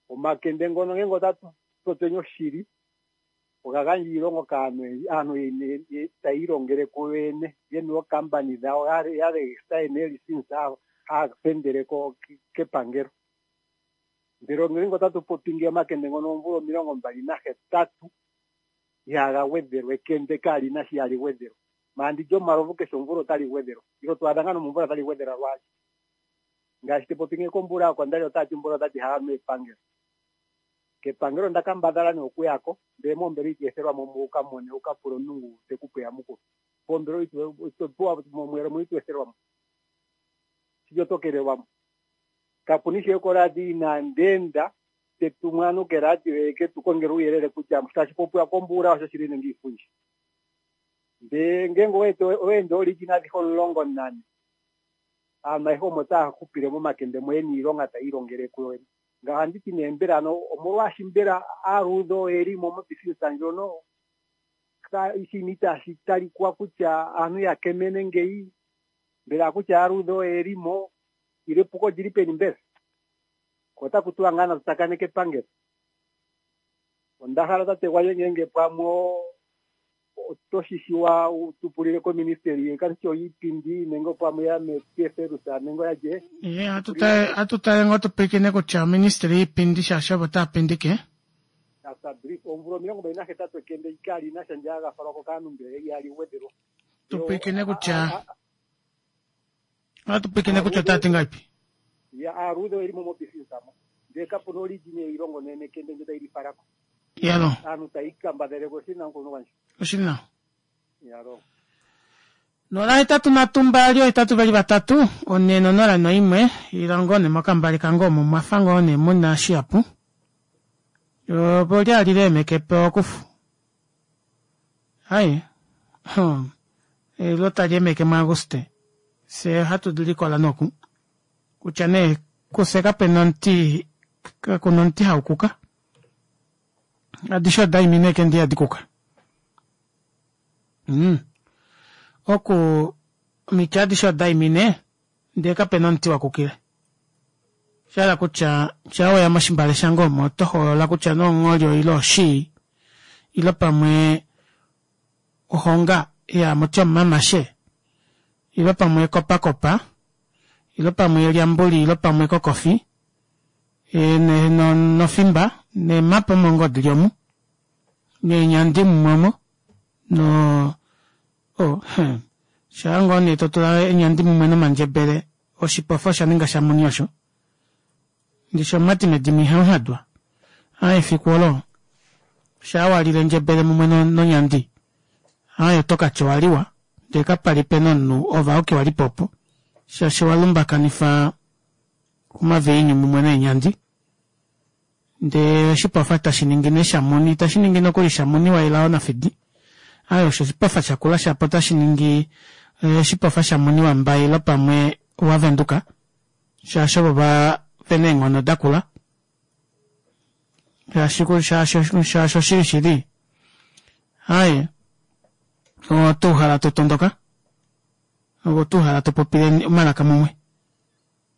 Omakende ngono ngenge otatu popyeni oshili oga gandja iilongo kaantu oyendji, aantu taya ilongele kuyo yene yena ookampani dhawo ya regista yena eelisinsi haya fendele kepangelo. Ndele ngenge otatu popi ngeyi omakende ngono oomvula omilongo mbali nahetatu ihaga gwedhelwa ekende kaalina shi ihali gwedhelwa. Maala ndi lyomalovu keshe omvula otali gwedhelwa. Ile to adha ngaa nomomvula tali gwedhelwa lwaali. Ngaashi te popi ngeyi komvula yokondali otati omvula otati ihaya nu epangelo. Kepangelo onda kambadhala nee okuyako ndele moombelewa ito ethelwa mo wuka mone wuka pule omuntu ngu teku pe eyamukulo. Poombelewa ito pewa momweelo mo ito ethelwa mo. Shili oto kelelwa mo. Kapuna ishewe koradio inandi enda te tumu aantu keradio yeke tu kongele uuyelele kutya tashi popiwa kombuula osho shili nenge iifundja. Ndee ngenge owa ende ooliina adhihe omulongo nane aantu ayehe omo taya hupile momakende mo yena iilonga taya ilongele kuyo yene. Ngaye ohandi ti nee mbela ano omolwaashi mbela aaluudhe oyeli mo mobisinisa ndjono oshinima itaashi talikwa kutya aantu ya kemene ngeyi mbela kutya aaluudhe oyeli mo ile epuko olili peni mbela? Ko otaku tiwa ngaa natu tsakaneke epangelo. Onda hala tate gwandje ngenge pamwe oto shi shiwa wu tu pulile koministeli kandishi oyiipindi nenge pamwe ya meTFLS nenge oya lye. Ye atu tale ngoo tu pwilikine kutya oministeli yiipindi shaashi ovo taya pindike. Asa brief oomvula omilongo mbali nahetatu ekende kali na sha ndje haga falwa ko kaantu mbele ihali gwedhelwa. Tu pwilikine kutya atu pwilikine kutya otaya ti ngahelipi. Ya aaluudhe oyeli mo mobisinisa mo ndele kapuna oligina yeilongo nee nekende ndjo tayi li falako. Yalo. Aantu taya ikambadhele ko oshili nawa mukuluntu gwandje. Oshili nawa. Yalo. Nola hetatu nhatu mbali ohetatu vali vatatu one nonola noimwe ilongo ne mokambali kange omo mwafa ngoo ne muna shihapu opo lyali leemeke po okufu hai elo tali emeke muAguste fye ohatu likola noku kutya nee kufye kapena omuti kakuna omuti hau kuka adishe oda imine ashike ndee ihadi kuka mm. Oku omiti adishe oda imine ndee kapena omuti wa kukile osha hala kutya shaa weya moshimbale shange omo oto hoolola kutya nee ongholi ile oshii ile pamwe ohonga iya amuti omumamashe ile pamwe ekopakopa ile pamwe elyambuli ile pamwe ekokofi nofimba neemapa omo ngoo dili omu Neenyandi mumwe omo no oh, hmm. Shaa ngoo nee to tula eenyandi mumwe nomandjebele oshipofa osha ninga shamuni osho. Ndishi omumati medimo ihamu hadwa. Aa efiku olo shaa walile endjebele mumwe nonyandi aaye oto katya owaliwa ndee kapali pena omunhu ove auke walipo opo shaashi walumbakanifa omaviinyu mumwe neenyandi ndee oshipofa tashi ningi nee shamuni itashi ningi nokuli shamuni waelao nafidi aaye osho oshipofa shakula shapo otashi ningi oshipofa shamuni wambaye ile pamwe wavenduka shaashi ovo vena eenghono dakula shaashi shaashi oshili shili aaye otuuhala totondoka ove otuuhala topopile omalaka mumwe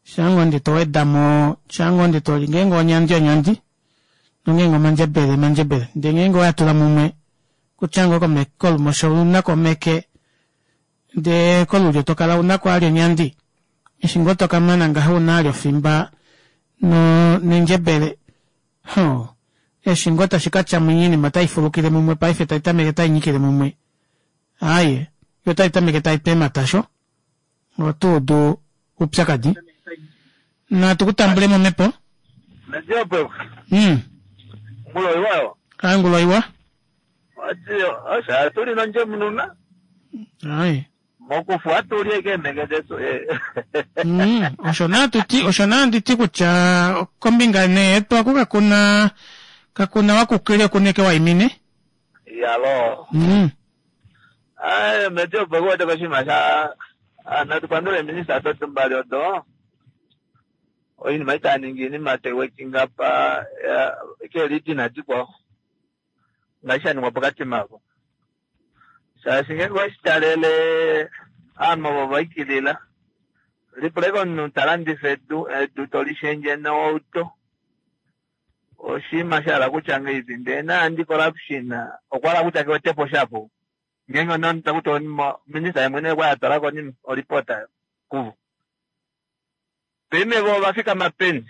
shaa ngoo ndee towedamo shaa ngoo ndee toli ngeenge onyandi onyandi nongeenge omandjebele omandjebele ndee ngeenge owatula mumwe kutya ngoo kolumosho ounako omeke ndee kolulyo tokala unako vali onyandi eshi ngoo tokamana ngaho ouna vali ofimba nendjebele hoo eshi ngoo tashi katya mwinya oinima otaifulukile mumwe paife taitameke tainyikile mumwe aaye yoo otaitameke taitu eematasho otuudu oupyakadi natu kutambulemo omhepo mm Ngulo angulo iwa Osho atuli nondjemununa aye mokufu atuli ekeemhenge detu mm osho naa tuti osho naa nditi kutya kombinga nee yetu aku kakuna kakuna wakukile okuna eke waimine yalo mm aye meti opo kuwete koshinima sha natu pandule minista dotu mbali odo oinima itaningi iinima tai waking up keelidina dikwao ngaashi shaningwa pokati mavo shaashi ngeenge oweshitalele ovanhu ovo vaikilila lipula ike omunhu talandifa edu edu tolishendje noauto oshinima shahala kutya ngahelipi ndee na anti corruption okwahala kutya kewetepo shapo ngeenge takuti minista yemwene okwali atwalako nini olipota kuvo paife vo ovafikama peni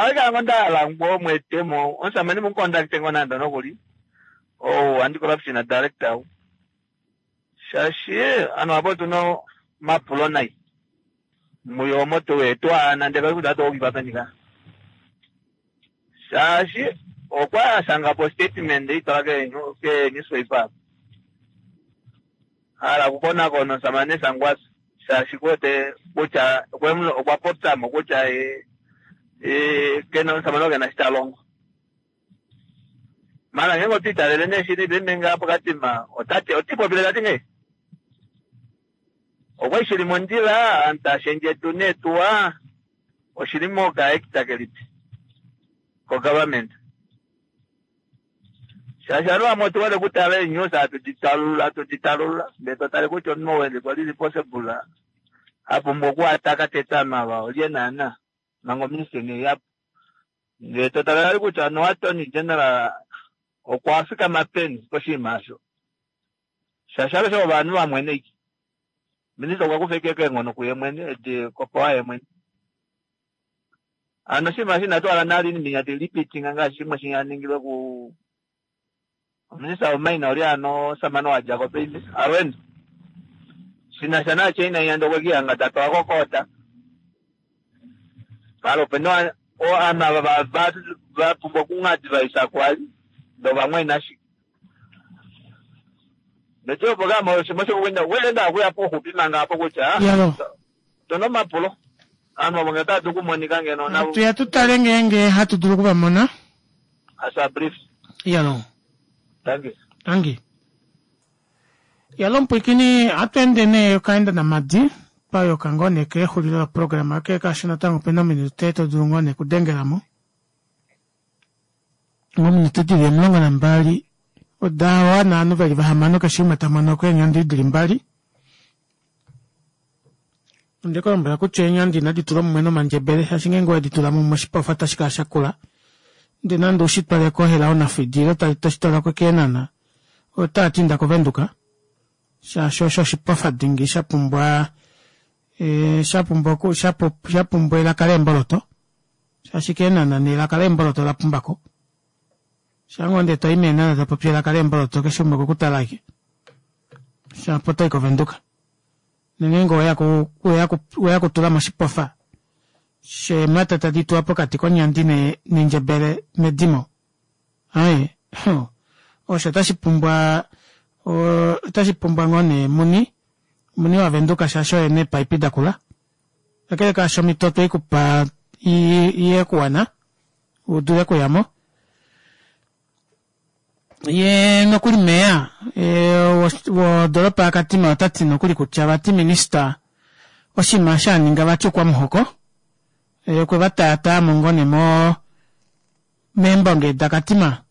aikala ngoo ndahala ngoo mweetemo omusamane mucontacte ngoo nande nokuli ou anti corruption director ou shaashi ovanhu ava otuna omapulo nai muyo omo tuwaana ndee kutya otaukifa peni ka shaashi okwali ashangapo statement eitwala kee newspaper hala okukonakona omusamane Sankwasa shaashi kuwete kutya okwa popyamo kutya kena omusamane oo kena eshi talongo maala ngeenge otwiitalele nee shili paife ngaha pokatima otati otipopile tati ngahelipi okwali shili mondjila ovanhu taashendje edu neetuwa oshili moka-act kelipi ko-government shaashi ovanhu vamwe otuhole okutala ee-news hatu ditalulula hatu ditalulula ndee totale kutya omunhu ou kwali responsible apumbwa okuataka tete ovanhu ava olye naana manga oministry ineiyapo ndee totale vali kutya no attorney general okwa fikama peni koshinima osho shaashi alushe ovanhu vamwene ike minista okwa kufa ike keenghono kuye mwene edi kopowa ye mwene hano oshinima eshi inatu hala nale oinima inya tailipitinga ngaashi shimwe shinyaningilwe ku minista womaina oli hano omusamane wadjako paife alweendo shinasha naChina inya ndee okwekihanga tapewa kokoota maala opena ovanhu ava vapumbwa okungadivise kwali ndee ovamwene ashike ndeti opo kama oshima shokuwenda welenda akuya poxupi manga apo kutya tuna omapulo ovanhu ovo ngee otava dulu okumonika ngeno navo tuya tutale ngeenge hatu dulu okuvamona as a brief iyalo thank you tangi yalo mpwikini ohatu ende nee okaenda namadi twayoka ngoo nee kexulilo loprograma ke kaashi natango opena ominute to dulu ngoo nee okudengelamo ominute dili omulongo nambali oda wana ovanhu veli vahamano keshe umwe tamono ko eenyandi dili mbali ondekulombwela kutya eenyandi inadi tulwa mumwe nomandjebele shaashi ngeenge owedi tula mumwe oshipofa otashi kala shakula ndee nande ushitwale kohela onafidi ile toshitwala kokeenana otaa tinda kovenduka shaashi osho oshipofa dingi shapumbwa shapumbwa shapumbwa elaka leemboloto shaashi keenana nelaka leemboloto olapumbako Shango ndee toi meenhana tapopi elaka leemboloto keshe umwe okukutala ashike. Shapo toi kovenduka. Nongeenge oweya kutula moshipofa sheemhata tadi tuwa pokati konyandi nendjebele medimo. Aaye osho otashi pumbwa otashi pumbwa ngoo nee muni muni wavenduka shaashi oye ena eepaipi dakula. Kakele kaasho omito otweikupa yekuwana udule okuyamo. Yee nokuli meya wodoropa yaKatima otati nokuli kutya vati minister oshinima eshi aninga vati oukwamuhoko okwe vataatayamo ngoo nee moo meembonge daKatima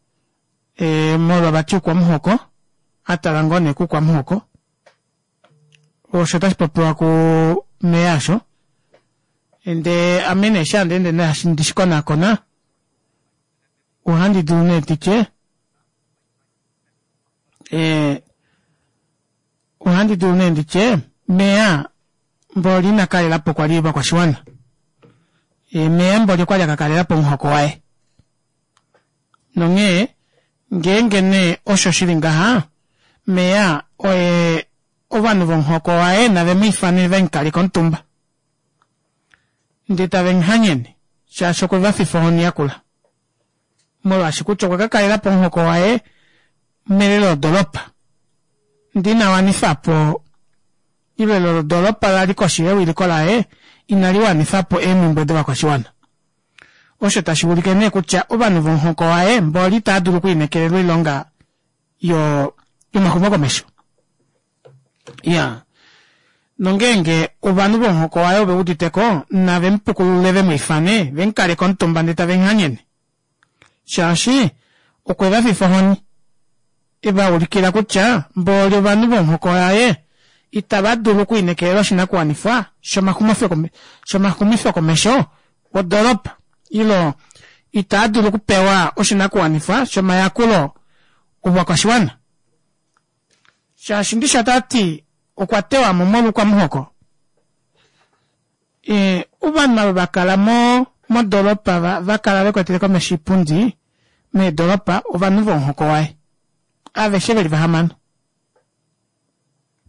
molwa vati oukwamuhoko atala ngoo nee koukwamuhoko osho otashi popiwa kumeya aasho ndee ame nee eshi handeende ndishikonaakona ohandi dulu nee nditye ohandi dulu nee nditye meya mboli ina kalelapo kwali ovakwashiwana meya mboli okwali akakalelapo omuhoko waye nonghee ngeenge nee osho shili ngaha meya oye ovanhu vomuhoko waye nave mwiifane vemukaleke omutumba ndee tave muhanyene shaashi okwe vafifa ohoni yakula molwaashi kutya okwa kakalelapo omuhoko waye melelo lodoropa ndee ina wanifapo ile elelo lodoropa lali koshi yewiliko laye inali wanifapo eemumbwe dovakwashiwana osho tashi ulike nee kutya ovanhu vomuhoko waye mboli itava dulu okwiinekelelwa oilonga yomaxumokomesho. Iyaa nongeenge ovanhu vomuhoko waye oveuditeko nave mupukulule vemwiifane vemukaleke omutumba ndee tave muhanyene shaashi okwe vafifa ohoni evaulikila kutya mboli ovanhu vomuhoko waye itava dulu okwiinekelelwa oshinakuwanifwa shomaxumifokomesho wodoropa ile itaadulu okupewa oshinakuwanifwa shomayakulo ovakwashiwana shaashi ndishi otavati okwa tewamo molwa oukwamuhoko ovanhu ava vakala modoropa vakala vekwetele komesho oipundi meedoropa ovanhu vomuhoko waye aveshe veli vahamano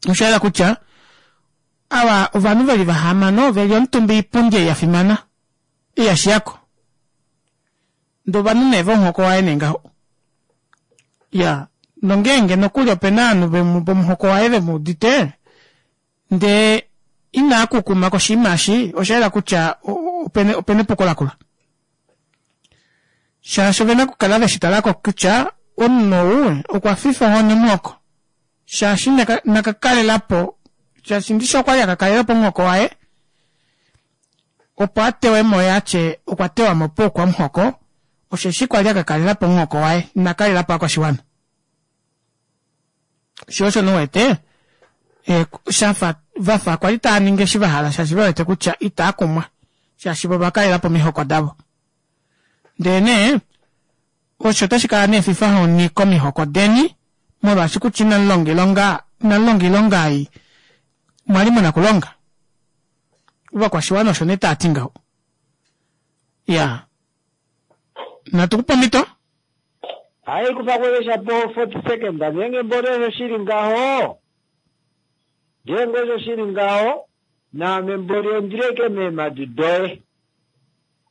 oshayela kutya ava ovanhu veli vahamano veli omutumba oipundi ei yafimana ei yashiyako ndee ovanhu nee vomuhoko waye nee ngaho iyaa nongeenge nokuli opena ovanhu vomuhoko waye vemuudite ndee inaakukuma koshinima eshi oshayela kutya opena epuko lakula shaashi ovena okukala veshitalako kutya omunhu ou okwafifa ohoni omuhoko shaashi nakakalelapo shaashi ndishi okwali akakalelapo omuhoko waye opo atewemo yee atye okwa tewamo poukwamuhoko osheshi kwali akakalelapo omuhoko waye ina kalelapo ovakwashiwana shoo osho nee uwete shafa vafa kwali taaningi eshi vahala shaashi vewete kutya itaakumwa shaashi voo ovakalelapo omihoko davo ndee nee osho otashi kala nee efifahoni komihoko deni molwaashi kutya inamulonga oilonga inamulonga oilonga ei mwali muna okulonga ovakwashiwana osho nee taati ngaho iyaa natukupe omito Hayi kufa po forty seconds ngeenge mboli osho shili ngaho ngeenge osho shili ngaho naame mboli ondileke meemadi doye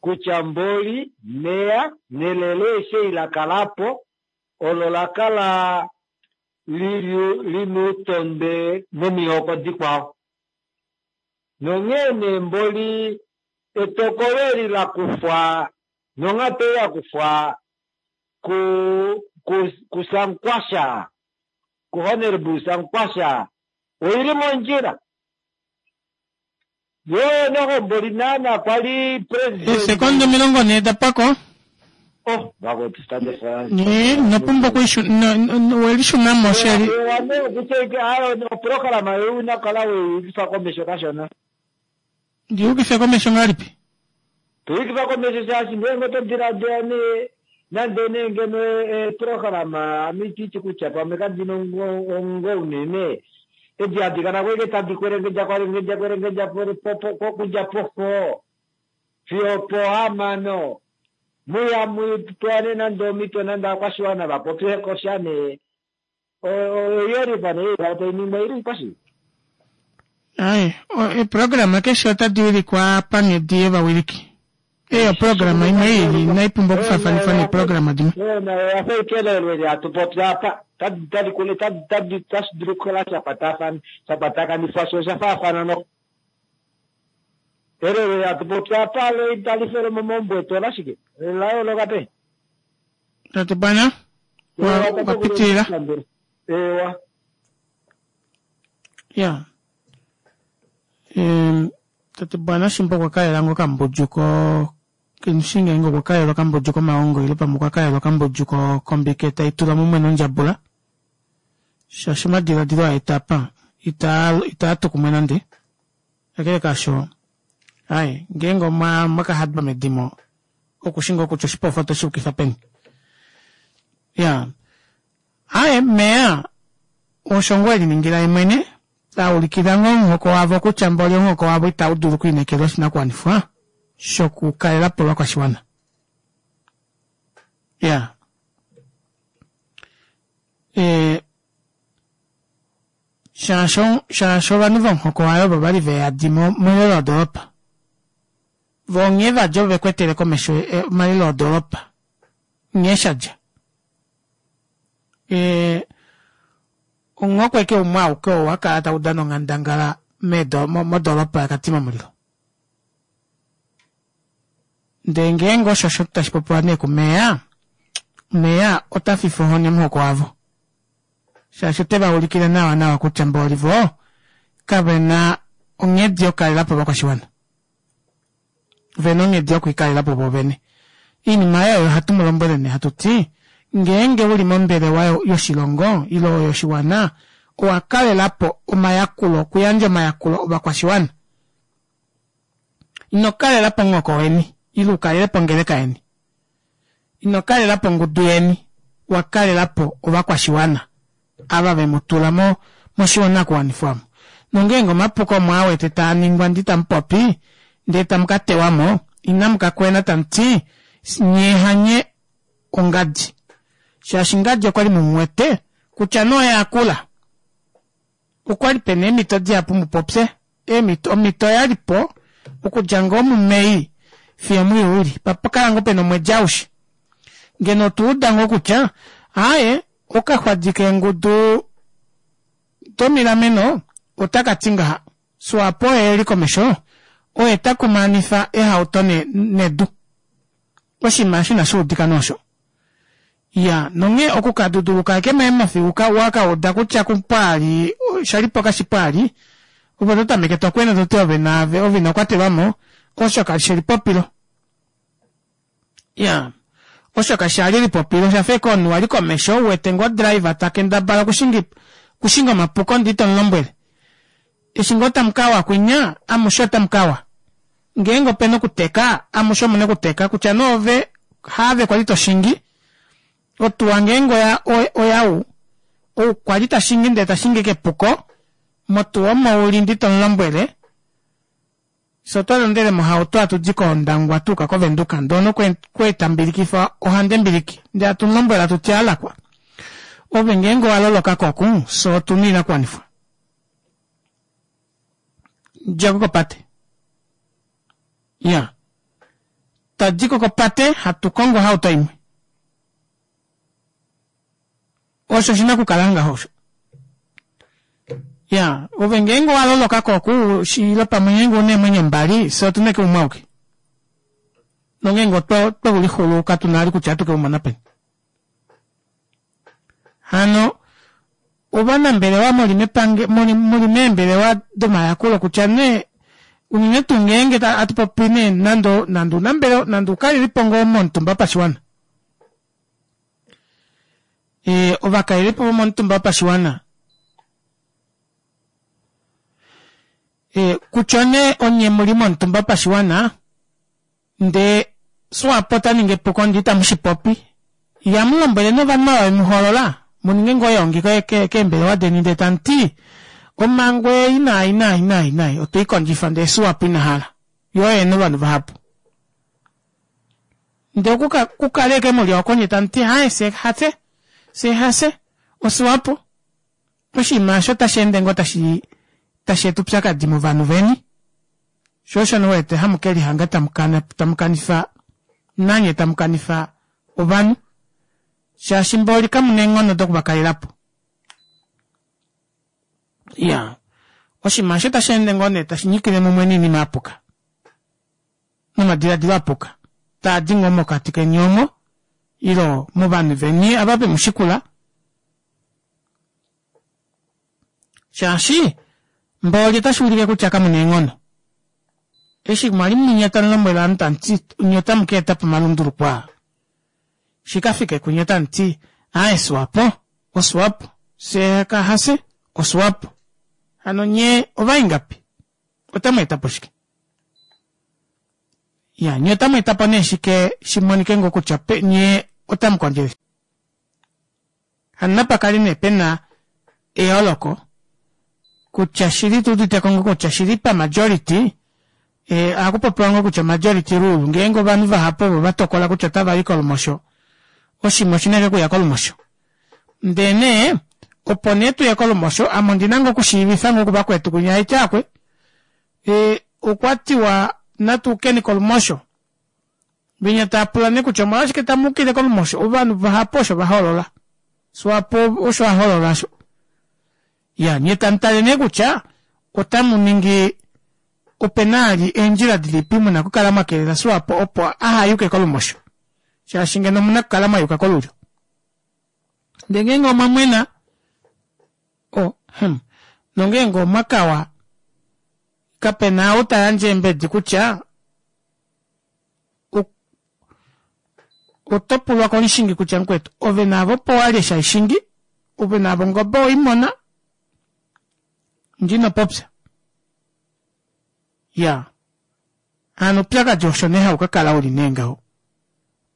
kutya mboli meya nelelo eshi ei lakalapo olo lakala lili lina outondwe nomihoko dikwao nonghee nee mboli etokolo eli lakufwa nonghatu ei yakufwa ku ku kusankwasha ku honorable Sankwasha oili mondjila yoo noho mboli naana kwali president eesekonde omilongo nhee dapwako oh vakwetu stade France inopumbwa welishunamo sheli kutya oprograma yo una kala weyukifa komesho kashona ndiyukife komesho ngahelipi tuyukifa komesho shaashi ngeenge oto diladila nee nande nee ngeno eprograma ame ititi kutya pamwe kandina ongo unene edi hadi kala kweke tadi kwelengedja kwelengedja kwelengedja okudja pofo fiyo pohamano Muya mupewane nande omhito nande ovakwashiwana va popye ko sha nee. Oyelifa nee tai ningwa ili pashi. Aye, eeprograma keshe otadi wilikwa panghedi yovawiliki. Ei oprograma imwe ili inai pumbwa okufaafanifwa neeprograma dimwe. Oya fa ikelelo eli hatu popi apa. Tadi tadi kule tadi tadi tashi dulu okukala sha kwatafana sha kwatakanifwa sho osha faafana no. Elelo eli hatu popi apa lo itali fele momaumbo etu olashike? La yooloka pe. Tate Bwana, wa wa pitilila. Ewa. Ya. Ehm, tate Bwana shimba okwa kalela ngoo okambudju ko kemushi ngeenge okwa kalela okambudju komaongo ile pamwe okwa kalela okambudju ko kombike tai tulwa mumwe nondjabula. Shaashi omadiladilo a eta apa itaa itaa tu kumwe nande. Kakele kaasho, ai ngeenge omwa mwaka hadwa medimo okushi ngoo kutya oshipofa otoshi yukifa peni. Ya. Aye meya osho ngoo eliningila ye mwene taulikila ngoo omuhoko wavo kutya mboli omuhoko wavo itau dulu okwiinekelwa oshinakuwanifwa shokukalela po ovakwashiwana. Ya. E, shaashi shaashi ovanhu vomuhoko waye ovo vali veyadi melelo lodoolopa. Vo nghee vadja ove kwetele komesho omalelo odoolopa. Nghee shadja. E, omuhoko ashike umwe auke oo wa kala tau dana onghandangala modoolopa yaKatima Mulilo. Ndee ngeenge osho osho tashi popiwa nee kumeya, meya ota fifa ohoni omuhoko wavo. Shaashi ote va ulikile nawa nawa kutya mboli vo kave na onghedi yokukalela po ovakwashiwana. Ve na onghedi yokwiikalela po vovene. Oinima oyo ohatu mu lombwele nee hatu ti, ngeenge uli mombelewa yoshilongo ile yoshiwana, owa kalela po omayakulo, okuyandja omayakulo ovakwashiwana. Ino kalela po omuhoko weni, ile ukalele po ongeleka yeni. Ino kalela po ongudu yeni, wa kalela po ovakwashiwana ava ve mu tula mo moshinakuwanifwa omo. Nongeenge omapuko omo a wete taa ningwa ndi tamu popi, ndee tamu ka tewa mo, inamu ka kwena tamu ti nyee hanye ongadi. Shaashi ngadi okwali mu mu wete kutya nee oye akula. Okwali pena eemhito dihapu mu popye. Eemhito omhito oyali po okudja ngoo muMei fiyo muJuli. Pa kala ngoo pena omwedi aushe. Ngeno otwa uda ngoo kutya aaye okaxwadi keengudu domilameno otaka ti ngaha Swapo oye eli komesho oye ta kumaanifa ehauto nedu. Oshinima eshi inashi udika nee osho. Iya, nonghee oku ka duduluka ashike meemhofi uka wa ka uda kutya pwaali shalipo kashi pwaali, ove oto tameke to kwena to ti ove naave ove ino kwatelwa mo, osho kashi elipopilo. Iya, osho kasha li elipopilo, osha fa ashike omunhu wali komesho u wete ngoo driver ta kendabala okushinga okushinga omapuko ndee ito mu lombwele. Eshi ngoo tamu ka wa kwinya, amushe otamu ka wa. Ngeenge opena okuteka, amushe omuna okuteka kutya nee ove haave kwali to shingi, otuwa ngeenge oya oyau, ou kwali ta shingi ndee ta shingi kepuko, motuwa omo uli ndi tomu lombwele, fye otwa londele mohauto hatu di kOndangwa twa yuka kOvenduka ndee omunhu okwa tambilikifa ohandembiliki ndee hatu mu lombwele hatu ti alakwa ove ngeenge owa loloka ko oku fye otuna oinakuwanifwa djako kopate iya tadiko kopate hatu kongo ohauto imwe osho oshina okukala ngaho osho ya ove ngeenge owa loloka ko oku ile pamwe ngeenge una eemwenyo mbali fye otuna ashike umwe auke nongeenge otwe ulixulu katuna vali kutya ohatu ke umona peni hano ovanambelewa muli mepange muli muli meembelewa domayakulo kutya nee unene tuu ngeenge hatu popi nee nande nande unambelewa nande ukalelipo ngoo momutumba wopashiwana e, ovakalelipo vomomutumba wopashiwana e, kutya nee onye muli momutumba wopashiwana ndee Swapo ota ningi epuko ndee itamu shi popi, ihamu lombwele nee ovanhu ava vemu hoolola mu ninge ngoo eyoongi keembelewa deni ndee tamu ti omhango ei naai naai naai naai otwe i kondjifa ndee Swapo ina hala, yo oye ena ovanhu vahapu. Ndee okukale ashike muli oko nyee tamuti aaye fyee hafye fyee hafye oSwapo oshinima aasho otasheende ngoo tashi tasheeta oupyakadi movanhu veni shoo osho nee uwete hamukelihanga tamukanifa nanye tamukanifa ovanhu shaashi mboli kamuna eenghono dokuvakalelapo iyaa oshinima aasho otasheende ngoo nee tashinyikile mumwe noinima yapuka nomadilaadilo apuka taadi ngoo mokati keni omo ile movanhu veni ava vemushikula shaashi mboli otashuulike kutya kamuna eenghono eshi mwali munya tamulombwele ovanhu tamuti nyee otamukaetapo omalunduluko aa shikafike kunye otamuti aaye swapo oswapo fyee hafye oswapo hano nyee ovaingapi otamweetapo shike iyaa nyee otamweetapo nee shike shimonike ngoo kutya nyee otamukondjele hano napakale nee pena eyooloko kutya shili tuuditeko ngoo kutya shili pamajority ohakupopiwa ngoo kutya majority rule ngeenge ovanhu vahapu ovo vatokola kutya otavayi kolumosho oshinima oshina ashike okuya kolumosho ndee nee opo nee tuye kolumosho ame ondina ngoo okushiivifa ngoo kuvakwetu kwinya haiti aakwe okwatiwa natuukeni kolumosho venya taapula nee kutya omolwashike tamuukile kolumosho ovanhu vahapu osho vahoolola swapo osho ahoolola aasho iyaa nyee tamutale nee kutya otamuningi opena vali eendjila dilipi muna okukala mwakelela swapo opo ahayuke kolumosho shaashi ngeno omuna okukala mwayuka kolulyo ndee ngeenge omwamwena oh hmm nongeenge omwakawa kapena ou tayandje eembedi kutya otopulwa komushingi kutya mukwetu ove naave opo wali eshi haishingi ove naave ongobe oweimona ndee inopopya iyaa hano oupyakadi osho nee haukakala uli nee ngaho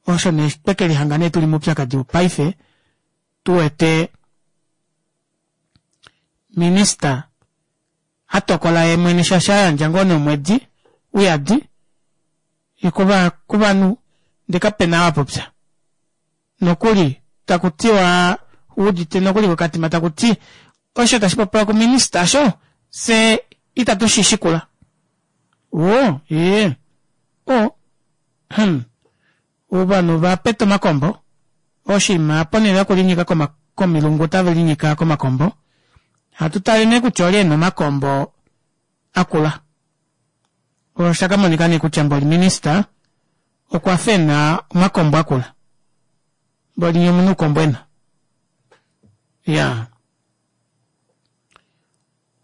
osho nee twekelihanga nee tuli moupyakadi paife tuwete minister atokola yeemwene shaashi ayandja ngoo nee omwedi uyadi kovanhu ndee kapena ou apopya nokuli takutiwa wuudite nokuli kokatima takuti osho tashipopiwa kuminister aasho fyee ita tushishikula woo iyee oo hmm ovanhu ovapeta omakombo oshinima ponele yokulinyika komilungu otavelinyika komakombo hatu tale nee kutya olye ena omakombo akula oshakamonika nee kutya mboli minister okwafa ena omakombo akula mboli nyee omuna oukombwena iyaa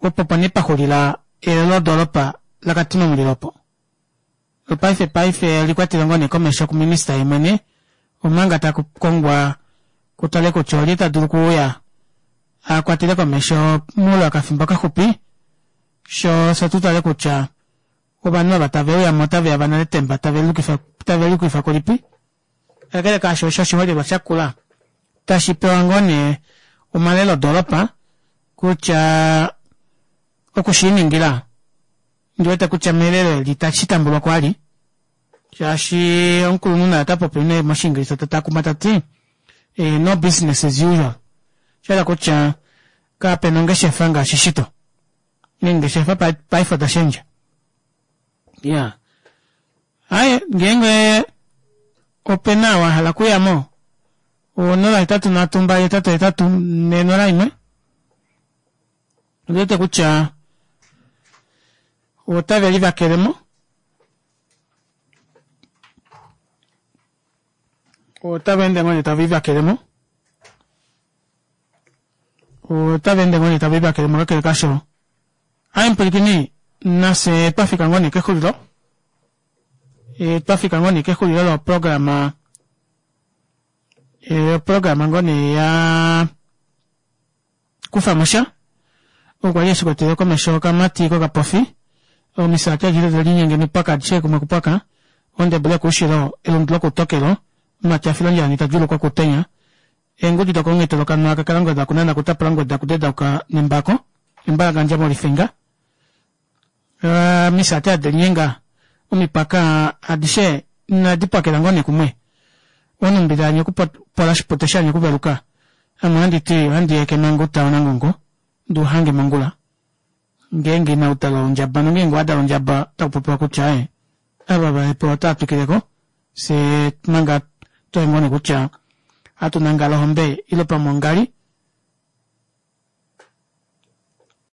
opo opo nee paxulila elelo lodoropa laKatima Mulilo opo paife paife olikwatelwa ngoo nee komesho kuminister yemwene omanga takukongwa kutale kutya olye tadulu okuuya akwatele komesho moule wokafimbo kaxupi shoo fye tutale kutya ovanhu ava taveuyamo otaveya vanale etemba taveliyukifa kulipi kakele kaasho osho oshiholelwa shakula tashi pewa ngoo nee omalelo odoropa kutya okushiiningila ondiwete kutya melelo eli itashitambulwako vali shaashi omukulunhu naye otapopi nee moshingilisa tatakuma tati no business as usual oshahala kutya kapena ongeshefa ngaashi shito eengeshefa paife oda shendja iyaa aaye ngeenge opena ou ahala okuyamo onola hetatu nhatu mbali hetatu hetatu nhee nola imwe ondiwete kutya otave livakelemo otava ende ngoo nee tave livakelemo otava ende ngoo nee tave livakelemo kakele kaasho aaye mupwilikini nafye twafika ngoo nee kexulilo twafika ngoo nee kexulilo loprograma oprograma ngoo nee yaa kufamosha okwali eshikwatele komesho okamati kokapofi omisati adishe tadelinyenge mipaka adishe kumwe kupaka ondebele yokoushilo elundu lokoutokelo omumati afila ondjala tadjuulukwa okutenya eengudi dokomungheto lokanwa kakala kunana kutapula ngweda kudedauka nembako embalakandja molifinga omisati adelinyenga omipaka adishe inadi pwakela ngoo nee kumwe Oo nhumbi daanya okupola oshipute shaanya okuveluka ame ohandi ti ohandi yeke manga outa wonangongo nduuhange mongula ngeenge ina udala ondjaba nongeenge owadala ondjaba otakupopiwa kutya ee ava vahepewa otava twikileko fyee manga twaimone kutya hatu nangala ohombe ile pamwe ongali